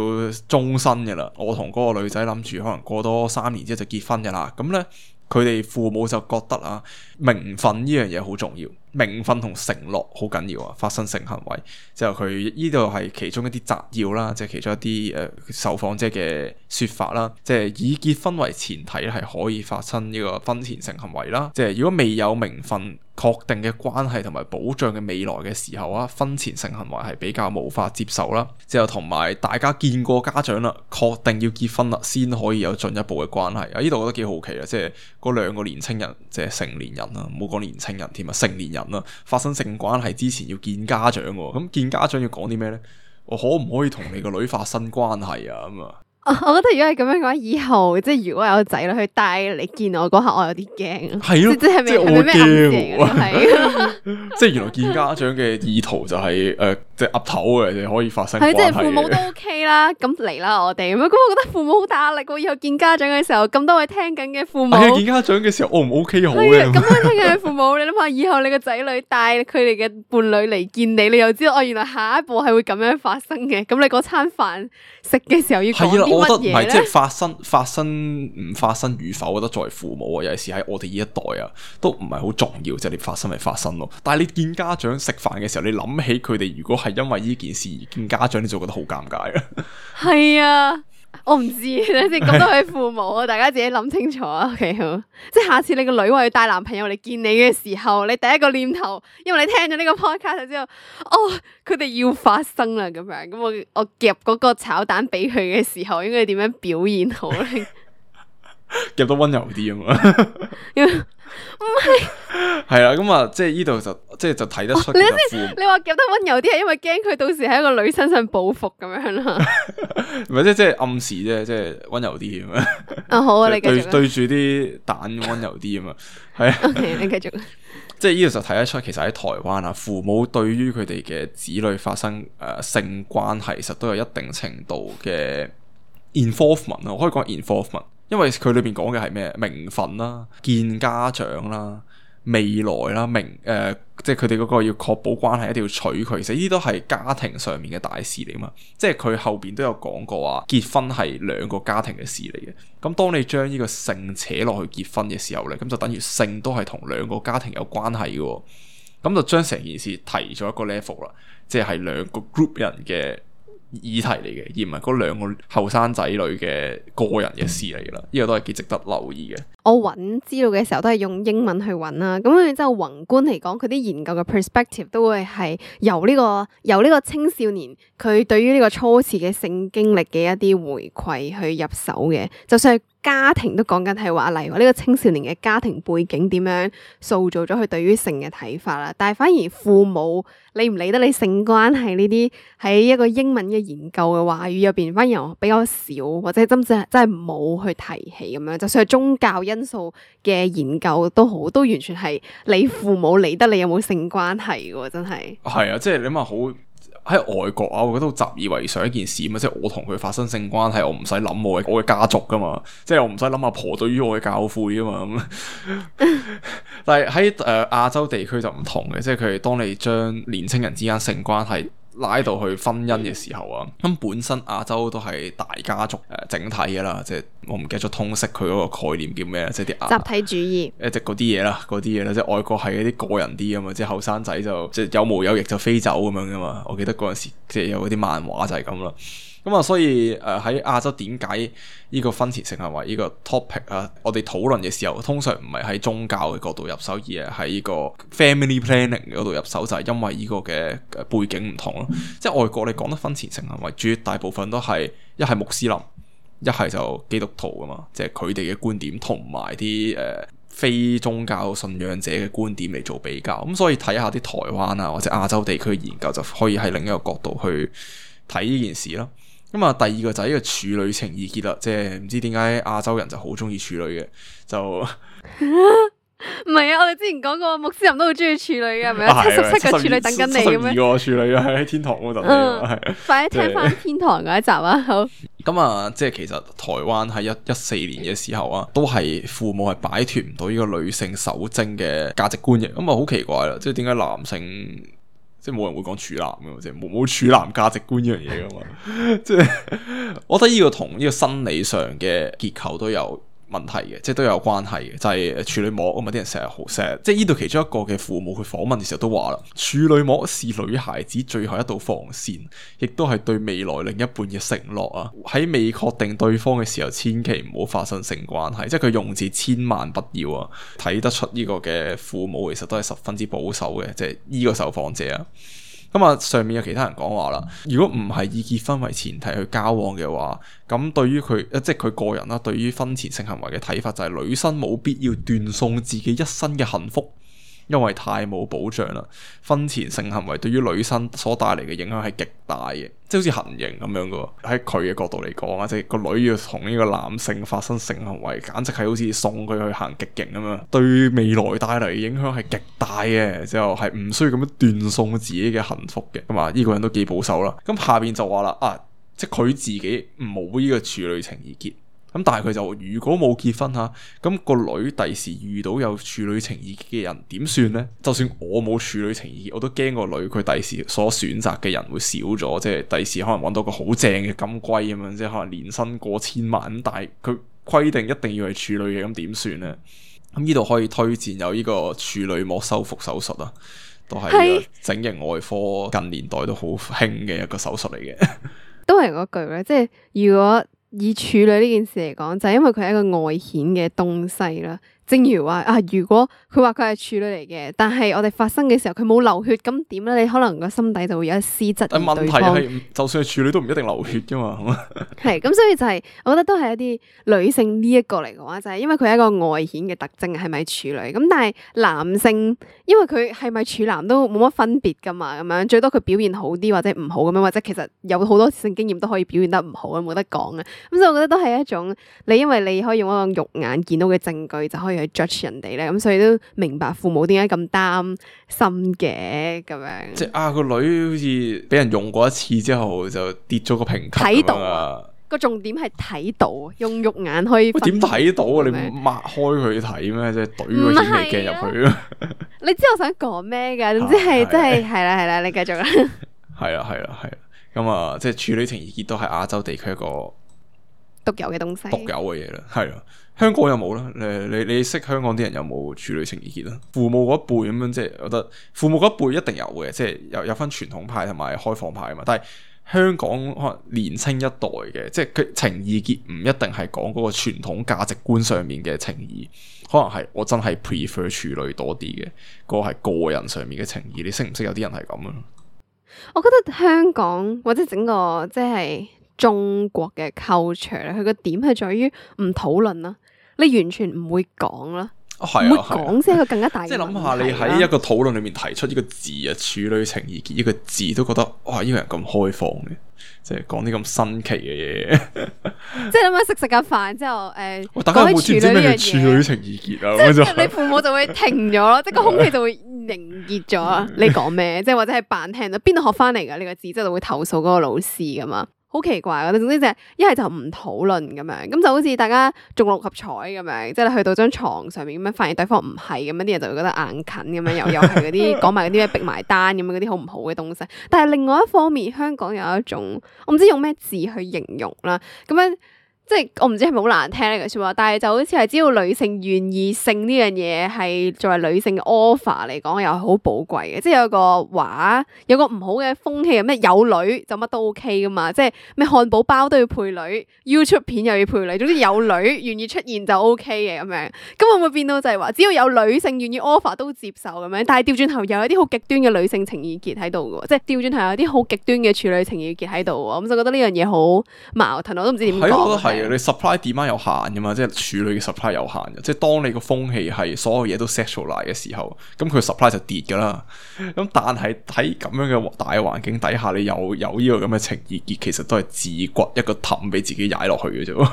終身嘅啦。我同嗰個女仔諗住可能過多3年之後就結婚嘅啦。咁咧，佢哋父母就覺得啊，名分呢樣嘢好重要，名分同承諾好緊要啊。發生性行為之後，佢呢度係其中一啲摘要啦，即係其中一啲受訪者嘅說法啦。即係以結婚為前提咧，係可以發生呢個婚前性行為啦。即係如果未有名分確定嘅關係同埋保障嘅未來嘅時候啊，婚前性行為係比較無法接受啦。之後同埋大家見過家長啦，確定要結婚啦，先可以有進一步嘅關係啊。呢度我覺得幾好奇啊，即係嗰兩個年青人，即係成年人啦，唔好講年青人添啊，成年人啦，發生性關係之前要見家長喎。咁見家長要講啲咩咧？我可唔可以同你個女發生關係啊？咁啊？我覺得如果係咁樣嘅話，以後即係如果有仔女去帶你見我嗰刻，我有啲驚。係咯，即係咪咩暗示嚟嘅？係，即係原來見家長嘅意圖就係即係岌頭嘅，你可以發生關係嘅。即係父母都 OK 啦，咁嚟啦我哋咁，我覺得父母好大壓力喎。以後見家長嘅時候，咁多位聽緊嘅父母，見家長嘅時候 O 唔 OK 好咧？咁多位聽緊嘅父母，你諗下，以後你個仔女帶佢哋嘅伴侶嚟見你，你又知道原來下一步係會咁樣發生嘅。咁你嗰餐飯食嘅時候要講啲乜嘢咧？我覺得唔係，即係發生唔發生與否，我覺得作為父母啊，尤其是喺我哋呢一代啊，都唔係好重要，即係你發生咪發生咯。但係你見家長食飯嘅時候，你諗起佢哋如果係因為呢件事而見家長，你就覺得好尷尬啊。係啊，我唔知，等先咁多位父母，大家自己諗清楚啊。OK 好，即係下次你個女話要帶男朋友嚟見你嘅時候，你第一個念頭，因為你聽咗呢個 podcast 就知道，哦，佢哋要發生啦咁樣。咁我夾嗰個炒蛋俾佢嘅時候，應該點樣表現好咧？夾得溫柔啲啊嘛，唔係，係啦，咁啊，即係呢度就睇得出其實父母。你話夾得溫柔啲係因為驚佢到時喺一個女身上報復咁樣啦。唔係即係暗示啫，即係溫柔啲咁樣。啊好啊，你繼續。對住啲蛋溫柔啲啊嘛，係啊。OK，你繼續。即係呢度就睇得出，其實喺台灣啊，父母對於佢哋嘅子女發生性關係，其實都有一定程度嘅 involvement 啊，我可以講 involvement。因為佢裏邊講嘅係咩？名分啦、見家長啦、未來啦、即係佢哋嗰個要確保關係，一定要娶佢。其實呢啲都係家庭上面嘅大事嚟嘛。即係佢後邊都有講過話，結婚係兩個家庭嘅事嚟嘅。咁當你將呢個性扯落去結婚嘅時候咧，咁就等於性都係同兩個家庭有關係嘅。咁就將成件事提咗一個 level 啦，即係兩個 group 人嘅議題嚟嘅，而唔係嗰兩個後生仔女嘅個人嘅事嚟啦。呢個都係幾值得留意嘅。我揾資料嘅時候都係用英文去揾啦，咁然之後宏觀嚟講，佢啲研究嘅 perspective 都會係由呢個青少年佢對於呢個初次嘅性經歷嘅一啲回饋去入手嘅，就算係家庭都講緊係話，例如話呢個青少年嘅家庭背景點樣塑造咗佢對於性嘅睇法啦，但係反而父母理唔理得你性關係呢啲喺一個英文嘅研究嘅話語入邊，反而比較少，或者真係冇去提起咁樣，就算係宗教因素嘅研究都好，都完全係你父母理得你有冇性關係嘅，真係。係啊，即係你諗下好喺外國啊，我覺得好習以為常一件事嘛，即係我同佢發生性關係，我唔使諗我嘅家族噶嘛，即係我唔使諗阿婆對於我嘅教誨啊嘛咁。但係喺亞洲地區就唔同嘅，即係佢哋當你將年青人之間性關係拉到去婚姻嘅時候啊，咁本身亞洲都係大家族整體嘅啦，即係我唔記得咗通識佢嗰個概念叫咩，即係啲集體主義，即係嗰啲嘢啦，即係外國係一啲個人啲啊嘛，即係後生仔就即係有毛有翼就飛走咁樣噶嘛。我記得嗰陣時即係有嗰啲漫畫就係咁啦。咁啊，所以喺亞洲點解呢個婚前性行為呢個 topic 啊，我哋討論嘅時候，通常唔係喺宗教嘅角度入手，而係喺呢個 family planning 嗰度入手，就係因為呢個嘅背景唔同咯。即係外國你講得婚前性行為，絕大部分都係一係穆斯林，一係就基督徒噶嘛，即係佢哋嘅觀點同埋啲非宗教信仰者嘅觀點嚟做比較。咁所以睇下啲台灣啊或者亞洲地區嘅研究，就可以喺另一個角度去睇呢件事咯。咁啊，第二個就係呢個處女情意結啦，即係唔知點解亞洲人就好中意處女嘅，就唔係啊！我哋之前講過穆斯林都好中意處女嘅，係咪啊？77個處女等緊你咁樣，72個處女喺天堂嗰度等你，快啲聽翻天堂嗰一集啊！好。咁啊，即係其實台灣喺14年嘅時候啊，都係父母係擺脫唔到呢個女性受精嘅價值觀嘅，咁啊好奇怪啦，即係點解男性？即係冇人會講處男嘅，即係冇處男價值觀呢樣嘢噶嘛。即係我覺得呢個同呢個生理上嘅結構都有問題嘅，即係都有關係嘅，就係處女膜啊嘛。啲人成日好 sad，即係呢度其中一個嘅父母佢訪問嘅時候都話啦，處女膜是女孩子最後一道防線，亦都係對未來另一半嘅承諾啊。喺未確定對方嘅時候，千祈唔好發生性關係，即係佢用字千萬不要啊。睇得出呢個嘅父母其實都係十分之保守嘅，即係呢個受訪者啊。咁啊，上面有其他人講話啦，如果唔係以結婚為前提去交往嘅話，咁對於佢即係佢個人啦，對於婚前性行為嘅睇法就係女生冇必要斷送自己一生嘅幸福，因為太冇保障啦。婚前性行為對於女生所帶嚟嘅影響係極大嘅，即係好似行刑咁樣噶。喺佢嘅角度嚟講啊，即係個女要同呢個男性發生性行為，簡直係好似送佢去行極刑咁樣，對未來帶嚟嘅影響係極大嘅，之後係唔需要咁樣斷送自己嘅幸福嘅。咁啊，呢個人都幾保守啦。咁下邊就話啦，即係佢自己冇呢個處女情意結。咁但係佢就如果冇結婚吓，咁個女第時遇到有處女情意結嘅人點算呢？就算我冇處女情意結，我都驚個女佢第時所選擇嘅人會少咗，即係第時可能揾到個好正嘅金龜咁樣，即係可能年薪過千萬咁，但係佢規定一定要係處女嘅，咁點算呢？咁呢度可以推薦有呢個處女膜修復手術啊，都係整形外科近年代都好興嘅一個手術嚟嘅。都係嗰句咧，即係如果以處女呢件事嚟講，就係因為佢係一個外顯嘅東西啦。正如話啊，如果佢話佢係處女嚟嘅，但係我哋發生嘅時候佢冇流血，咁點咧？你可能個心底就會有一絲質疑但問題對方。係，就算係處女都唔一定流血噶嘛。係咁，所以就係、我覺得都係一啲女性呢一個嚟嘅話，就係、因為佢係一個外顯嘅特徵，係咪處女？咁但係男性，因為佢係咪處男都冇乜分別噶嘛，咁樣最多佢表現好啲或者唔好咁樣，或者其實有好多性經驗都可以表現得唔好，冇得講嘅。咁所以我覺得都係一種你因為你可以用一個肉眼見到嘅證據就可以去 judge 人哋咧，咁所以都明白父母點解咁擔心嘅咁樣。即係啊，個女好似俾人用過一次之後就跌咗個評級睇到啊！個重點係睇到，用肉眼可以分喂，點睇到啊？你咩擘開佢睇咩？即係懟個顯微鏡入去啊！你知我想講咩㗎？總之係真係係啦，你繼續啦。係啦。咁啊，即係處女情意結都係亞洲地區一個獨有嘅東西，獨有嘅嘢啦。係啦，香港有冇咧？你識香港啲人有冇處女情意結啦？父母嗰一輩咁樣，即係我覺得父母嗰一輩一定有嘅，即係有分傳統派同埋開放派啊嘛。但係香港可能年青一代嘅，即係佢情意結唔一定係講嗰個傳統價值觀上面嘅情義，可能係我真係 prefer 處女多啲嘅，嗰個係個人上面嘅情義。你識唔識有啲人係咁啊？我覺得香港或者整個即係中國嘅 culture 咧，佢個點係在於唔討論啦，你完全唔會講啦。唔會講先係一個更加大嘅問題。即係諗下，你喺一個討論裏面提出呢個字啊，處女情意結呢個字，都覺得哇，呢個人咁開放嘅，即係講啲咁新奇嘅嘢。即係諗下食下飯之後，大家有冇知唔知咩叫處女嘢，情意結啊？即係你父母就會停咗咯，即係個空氣就會凝結咗。你講咩？即係或者係扮聽到邊度學翻嚟㗎呢個字，之後就會投訴嗰個老師㗎嘛。好奇怪，我哋總之就係一係就唔討論咁樣，咁就好似大家中六合彩咁樣，即係你去到張床上面咁樣，發現對方唔係咁樣，啲人就會覺得硬近咁樣，又係嗰啲講埋嗰啲咩逼埋單咁樣嗰啲好唔好嘅東西。但係另外一方面，香港有一種我唔知用咩字去形容啦，咁樣。即係我唔知係咪好難聽呢句說話，但係就好似係只要女性願意性呢樣嘢係作為女性嘅 offer 嚟講，又係好寶貴嘅。即係有個話，有個唔好嘅風氣，咩有女就乜都 OK 噶嘛。即係咩漢堡包都要配女 ，YouTube 片又要配女，總之有女願意出現就 OK 嘅咁樣。咁會唔會變到就係話，只要有女性願意 offer 都接受咁樣？但係調轉頭又有啲好極端嘅女性情意結喺度嘅，即係調轉頭有啲好極端嘅處女情意結喺度。咁就覺得呢樣嘢好矛盾，我都唔知點講。你 supply demand 有限噶嘛，即係處女嘅 supply 有限嘅，即係當你個風氣係所有嘢都 sexualize 嘅時候，咁佢 supply 就跌噶啦。咁但係喺咁樣嘅大環境底下，你有呢個咁嘅情意結，其實都係自掘一個氹俾自己踩落去嘅啫。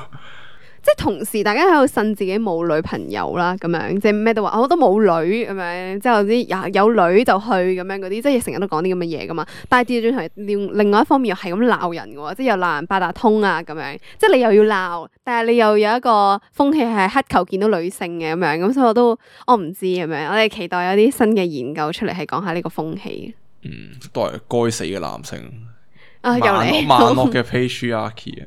即係同時，大家喺度呻自己冇女朋友啦，咁樣即係咩都話，我都冇女咁樣，之後啲有女就去咁樣嗰啲，即係成日都講啲咁嘅嘢噶嘛。但係調轉頭，另外一方面又係咁鬧人嘅喎，即係又鬧人八達通啊咁樣，即係你又要鬧，但係你又有一個風氣係乞求見到女性嘅咁樣，咁所以我唔知咁樣，我哋期待有啲新嘅研究出嚟係講下呢個風氣。都係該死嘅男性啊，又嚟萬惡嘅 patriarchy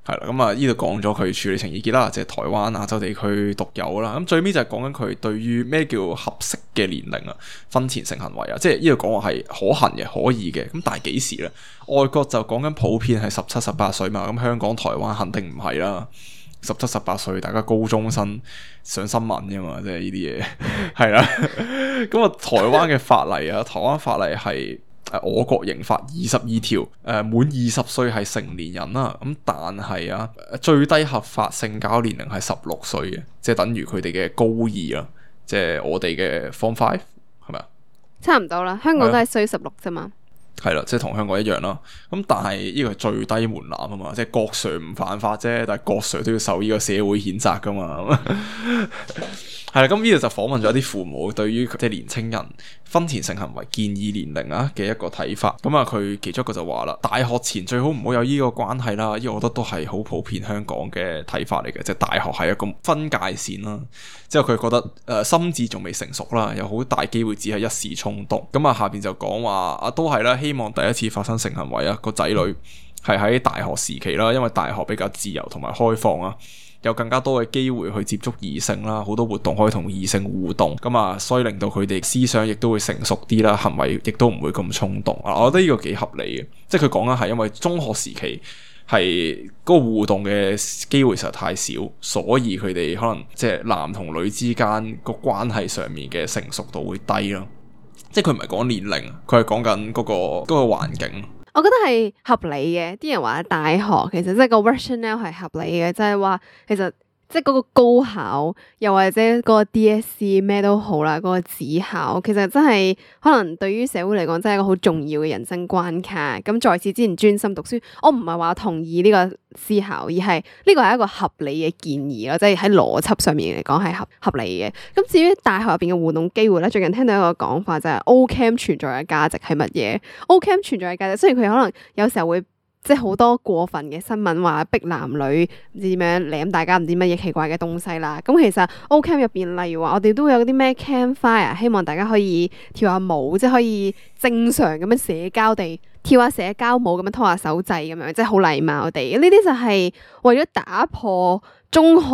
係啦，咁啊呢度講咗佢處女情意結啦，即係台灣亞洲地區獨有啦。咁最尾就係講緊佢對於咩叫合適嘅年齡啊，婚前性行為啊，即係呢度講話係可行嘅、可以嘅。咁但係幾時咧？外國就講緊普遍係17、18歲嘛，咁香港、台灣肯定唔係啦。17、18歲，大家高中生上新聞噶嘛，即係呢啲嘢係啦。咁啊，台灣嘅法例啊，台灣法例係。我國刑法22條，滿20歲係成年人啦。咁但係啊，最低合法性交年齡係16歲嘅，即係等於佢哋嘅高二啦，即係我哋嘅 Form 5係咪啊？差唔多啦，香港都係需16啫嘛。係啦，即係同香港一樣啦。咁但係呢個係最低門檻啊嘛，即係郭 Sir 唔犯法啫，但係郭 Sir 都要受呢個社會譴責噶嘛。係啦，咁呢度就訪問咗一啲父母對於即係年青人婚前性行為建議年齡啊嘅一個睇法。咁啊，佢其中一個就話啦，大學前最好唔好有呢個關係啦。呢個我覺得都係好普遍香港嘅睇法嚟嘅，即係大學係一個分界線啦。之後佢覺得心智仲未成熟啦，有好大機會只係一時衝動。咁啊，下邊就講話啊，都係啦，希望第一次發生性行為啊個仔女係喺大學時期啦，因為大學比較自由同埋開放啊。有更加多嘅機會去接觸異性啦，好多活動可以同異性互動，咁啊，所以令到佢哋思想亦都會成熟啲啦，行為亦都唔會咁衝動啊。我覺得呢個幾合理嘅，即係佢講緊係因為中學時期係嗰個互動嘅機會實在太少，所以佢哋可能即係男同女之間個關係上面嘅成熟度會低咯。即係佢唔係講年齡，佢係講緊嗰個環境。我覺得係合理嘅。啲人話大學其實即係個 rationale 係合理嘅，就係話其實即係嗰個高考又或者嗰個 DSE 咩都好啦，嗰個指考其實真係可能對於社會嚟講真係一個好重要嘅人生關卡。咁在此之前專心讀書，我唔係話同意呢個思考，而係呢個係一個合理嘅建議咯，即係喺邏輯上面嚟講係合理嘅。咁至於大學入邊嘅互動機會咧，最近聽到一個講法就係 O-Camp 存在嘅價值係乜嘢？O-Camp 存在嘅價值，雖然佢可能有時候會即係好多過分嘅新聞話逼男女唔知點樣舐大家唔知乜嘢奇怪嘅東西啦。咁其實 O-Camp 入邊，例如話我哋都會有啲咩 campfire，希望大家可以跳下舞，即係可以正常咁樣社交地跳下社交舞咁樣拖下手掣咁樣，即係好禮貌地。呢啲就係為咗打破中學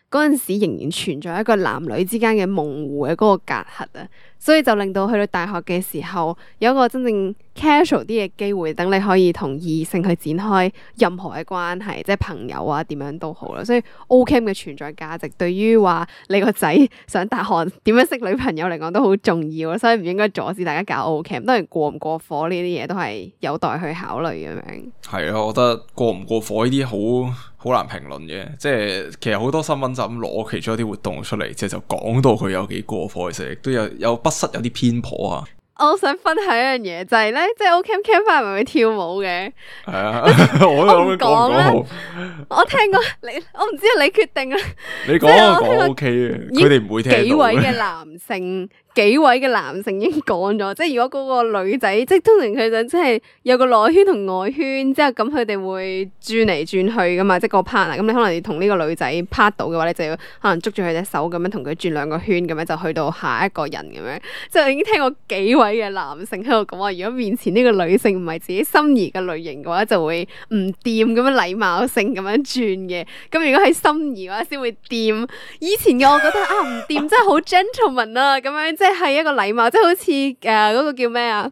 嗰陣時仍然存在一個男女之間嘅模糊嘅嗰個隔閡啊，所以就令到去到大學嘅時候有一個真正 casual 啲嘅機會，等你可以同異性去展開任何嘅關係，即係朋友啊點樣都好啦。所以 O-Camp 嘅存在價值對於話你個仔上大學點樣識女朋友嚟講都好重要，所以唔應該阻止大家搞 O-Camp。當然過唔過火呢啲嘢都係有待去考慮咁樣。係啊，我覺得過唔過火呢啲好難評論嘅，即係其實好多新聞就咁攞其中一啲活動出嚟，即係就講到佢有幾過火，其實亦都有不失有啲偏頗啊。我想分享一樣嘢就係咧，即係 O-Camp campfire 咪會跳舞嘅。係啊，我唔講啦。我聽過你，我唔知你決定啦。你講 OK 嘅，佢哋唔會聽到。幾位嘅男性已經講咗，即係如果嗰個女仔，即係通常佢就即係有個內圈同外圈，之後咁佢哋會轉嚟轉去噶嘛，即係個 partner。咁你可能要同呢個女仔 part 到嘅話，你就要可能捉住佢隻手咁樣同佢轉兩個圈，咁樣就去到下一個人咁樣。即係我已經聽過幾位嘅男性喺度講話，如果面前呢個女性唔係自己心儀嘅類型嘅話，就會唔掂咁樣禮貌性咁樣轉嘅。咁如果係心儀嘅話，先會掂。以前嘅我覺得啊唔掂，真係好 gentleman 啊咁樣。即係一個禮貌，即係好似嗰個叫咩啊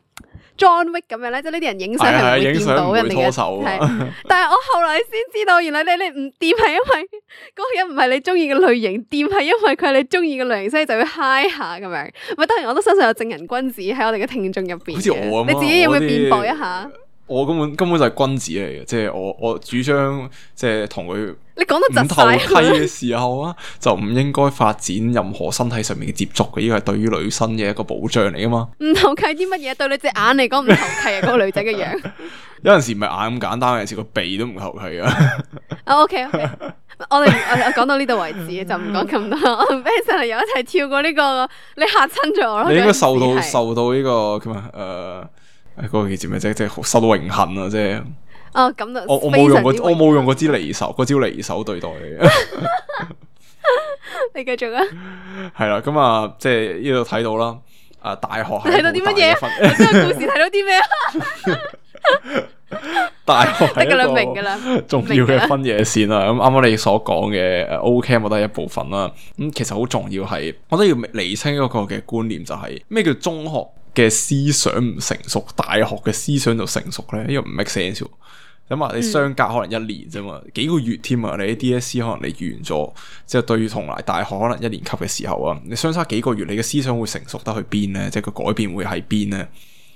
John Wick 咁樣咧，即係呢啲人影相係唔會掂到人哋嘅。但係我後來先知道，原來你唔掂係因為嗰個人唔係你中意嘅類型，掂係因為佢係你中意嘅類型，所以就要嗨下咁樣。咪當然我都相信有正人君子喺我哋嘅聽眾入邊。好似我咁，你自己有冇辯駁一下？我根本就係君子嚟嘅，即係我主張即係同佢你講得唔投契嘅時候啊，就唔應該發展任何身體上面嘅接觸嘅，呢個係對於女生嘅一個保障嚟噶嘛。唔投契啲乜嘢？對你隻眼嚟講唔投契啊！嗰個女仔嘅樣，有陣時唔係眼咁簡單，有陣時個鼻都唔投契啊。OK，我講到呢度為止，就唔講咁多。我同 Ben 上嚟又一齊跳過呢個，你嚇親咗我咯。你應該受到呢個叫咩？嗰個叫咩啫？即係受到榮幸啊！即係咁就我冇用嗰支離手，嗰招離手對待你嘅。你繼續啊。係啦，咁啊，即係呢度睇到啦。大學係睇到啲乜嘢？呢個故事睇到啲咩啊？大學係一個明㗎啦，重要嘅分野線啦。咁啱啱你所講嘅O-Camp 我都係一部分啦。咁其實好重要係，我都要釐清一個嘅觀念，就係咩叫中學嘅思想唔成熟，大學嘅思想就成熟咧？呢個唔 make sense。咁啊，你相隔可能1年啫嘛，幾個月添啊！你 DSE 可能你完咗，即係對於同埋大學可能1年級嘅時候啊，你相差幾個月，你嘅思想會成熟得去邊咧？即係個改變會喺邊咧？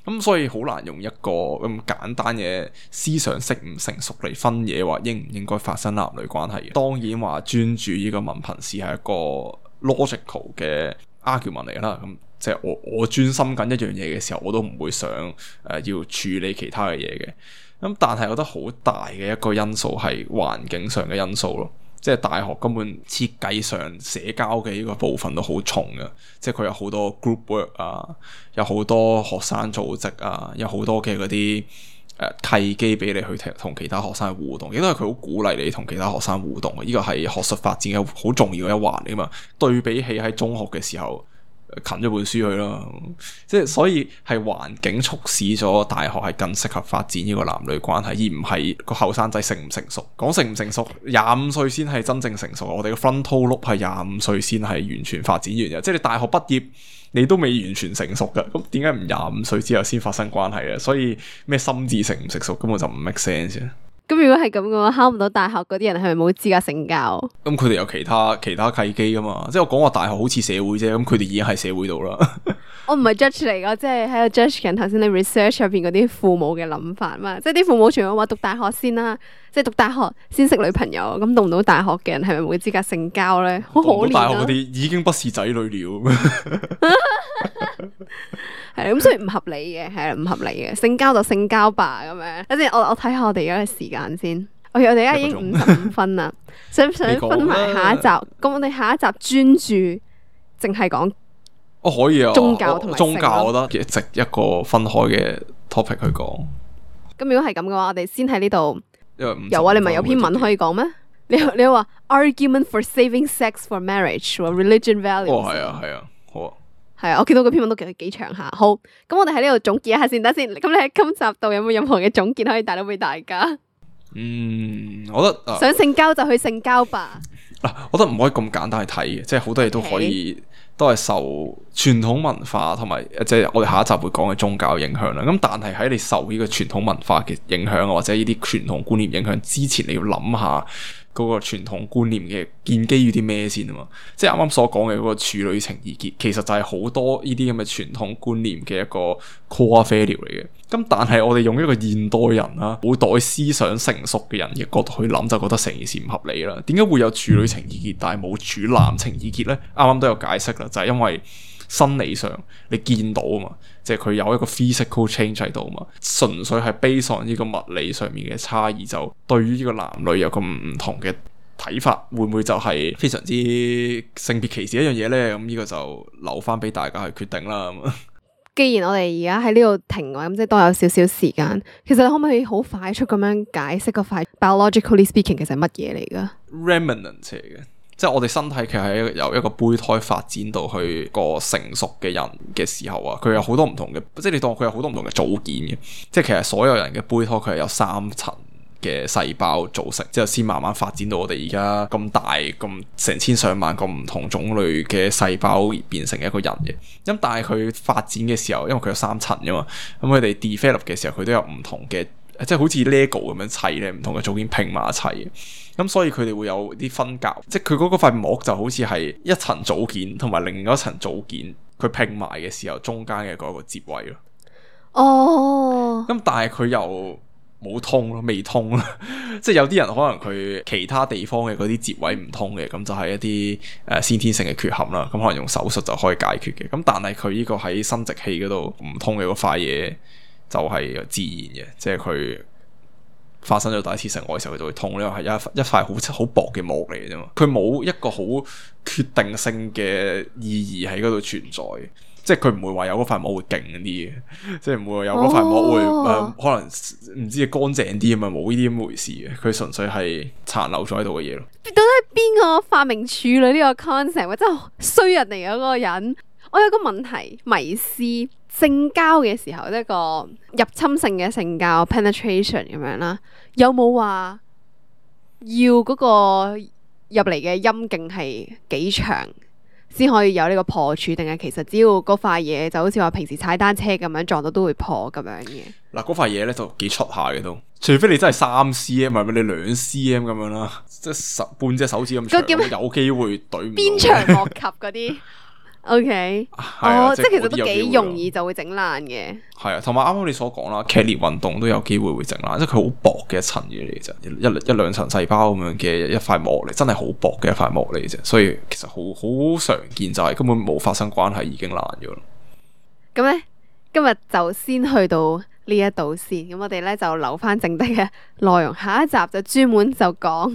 咁所以好難用一個咁簡單嘅思想識唔成熟嚟分野，話應唔應該發生男女關係嘅。當然話專注呢個文憑試係一個 logical 嘅 argument 嚟啦。咁即係我專心緊一樣嘢嘅時候，我都唔會想要處理其他嘅嘢嘅。咁但係我覺得好大嘅一個因素係環境上嘅因素咯，即係大學根本設計上社交嘅呢個部分都好重嘅，即係佢有好多 group work 啊，有好多學生組織啊，有好多嘅嗰啲契機俾你去同其他學生互動，亦都係佢好鼓勵你同其他學生互動嘅，呢個係學術發展嘅好重要嘅一環嚟嘛。對比起喺中學嘅時候，近咗本書去啦，即係所以係環境促使咗大學係更適合發展呢個男女關係，而唔係個後生仔成唔成熟。講成唔成熟，25歲先係真正成熟。我哋嘅 frontal lobe 係25歲先係完全發展完嘅，即係你大學畢業你都未完全成熟㗎，咁點解唔25歲之後先發生關係啊？所以咩心智成唔成熟根本就唔 make sense。咁如果係咁嘅話，考唔到大學嗰啲人係咪冇資格性交？咁佢哋有其他契機噶嘛？即係我講話大學好似社會啫，咁佢哋已經喺社會度啦。我唔係 judge 嚟噶，即係喺度 judge 緊頭先你 research 入邊嗰啲父母嘅諗法嘛。即係啲父母全部話讀大學先啦，即係讀大學先識女朋友。咁讀唔到大學嘅人係咪冇資格性交咧？好可憐啊！讀唔到大學嗰啲已經不是仔女了。係咁，所以唔合理嘅，係啦，唔合理嘅，性交就性交吧咁樣。等陣我睇下我哋而家嘅時間先。我哋而家已經55分啦，想唔想分埋下一集？咁我哋下一集專注淨係講可以啊，宗教同埋宗教，我覺得值一個分開嘅 topic 去講。咁如果係咁嘅話，我哋先喺呢度。因為有啊，你咪有篇文可以講咩？你話 argument for saving sex for marriage or religion values。係啊，好啊。係啊，我見到嗰篇文都幾長下。好，咁我哋喺呢度總結一下先得先。咁你喺今集度有冇任何嘅總結可以帶到俾大家？我覺得想性交就去性交吧。我覺得唔可以咁簡單去睇嘅，即係好多嘢都可以都係受傳統文化同埋即係我哋下一集會講嘅宗教影響啦。咁但係喺你受呢個傳統文化嘅影響或者呢啲傳統觀念影響之前，你要諗下嗰個傳統觀念嘅建基於啲咩先啊嘛？即係啱啱所講嘅嗰個處女情意結，其實就係好多呢啲咁嘅傳統觀念嘅一個 core value 嚟嘅。咁但係我哋用一個現代人啦，古代思想成熟嘅人嘅角度去諗，就覺得成件事唔合理啦。點解會有處女情意結，但係冇處男情意結呢？啱啱都有解釋啦，就係因為生理上你見到啊嘛，即係佢有一個 physical change 喺度啊嘛，純粹係 based on呢個物理上面嘅差異，就對於呢個男女有個唔同嘅睇法，會唔會就係非常之性別歧視一樣嘢呢？咁呢個就留翻俾大家去決定啦。既然我哋而家喺呢度停嘅話，咁即係都有少少時間。其實你可唔可以好快速咁樣解釋個塊 biologically speaking 其實係乜嘢嚟噶 ？Remnant 嚟嘅，即係我哋身體其實係由一個胚胎發展到去個成熟嘅人嘅時候啊，佢有好多唔同嘅，即係你當佢有好多唔同嘅組件嘅。即係其實所有人嘅胚胎佢係有3層嘅細胞組成，之後先慢慢發展到我哋而家咁大咁成千上萬個唔同種類嘅細胞變成一個人嘅。咁但係佢發展嘅時候，因為佢有3層噶嘛，咁佢哋 develop 嘅時候，佢都有唔同嘅，即係好似 Lego 咁樣砌咧，唔同嘅組件拼埋一齊嘅。咁所以佢哋會有啲分隔，即係佢嗰塊膜就好似係一層組件同埋另外一層組件，佢拼埋嘅時候中間嘅嗰個接位咯。哦。咁但係佢又冇通咯，未通咯，即係有啲人可能佢其他地方嘅嗰啲節位唔通嘅，咁就係一啲先天性嘅缺陷啦。咁可能用手術就可以解決嘅。咁但係佢呢個喺生殖器嗰度唔通嘅嗰塊嘢，就係自然嘅，即係佢發生咗第一次性愛嘅時候，佢就會痛。呢個係一塊好薄嘅膜嚟嘅啫嘛，佢冇一個好決定性嘅意義喺嗰度存在。即係佢唔會話有嗰塊膜會勁啲嘅，即係唔會話有嗰塊膜會可能唔知乾淨啲啊嘛，冇呢啲咁回事嘅。佢純粹係殘留咗喺度嘅嘢咯。到底係邊個發明處女呢個 concept？真係衰人嚟嘅嗰個人。我有個問題迷思，性交嘅時候，一個入侵性嘅性交 penetration 咁樣啦，有冇話要嗰個入嚟嘅陰莖係幾長先可以有呢個破處，定係其實只要嗰塊嘢就好似話平時踩單車咁樣撞到都會破咁樣嘅？嗱，嗰塊嘢咧就幾出下嘅都，除非你真係3cm，唔係你2cm 咁樣啦，即係半隻手指咁長，有機會懟唔到。鞭長莫及嗰啲。OK，即係其實都幾容易就會整爛嘅。係啊，同埋啱啱你所講啦，劇烈運動都有機會會整爛，即係佢好薄嘅一層嘢嚟啫，一兩層細胞咁樣嘅一塊膜嚟，真係好薄嘅一塊膜嚟啫。所以其實好常見，就係根本冇發生關係已經爛咗咯。咁咧，今日就先去到呢一度先。咁我哋咧就留翻剩低嘅內容，下一集就專門就講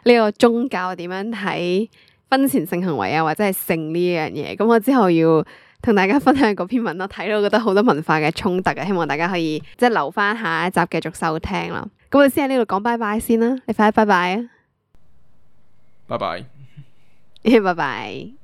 呢個宗教點樣睇婚前性行為啊，或者係性呢樣嘢。咁我之後要同大家分享嗰篇文咯，睇到覺得好多文化嘅衝突啊，希望大家可以即係留翻下一集繼續收聽啦。咁我哋先喺呢度講拜拜先啦，你快啲拜拜啊！拜拜，拜拜。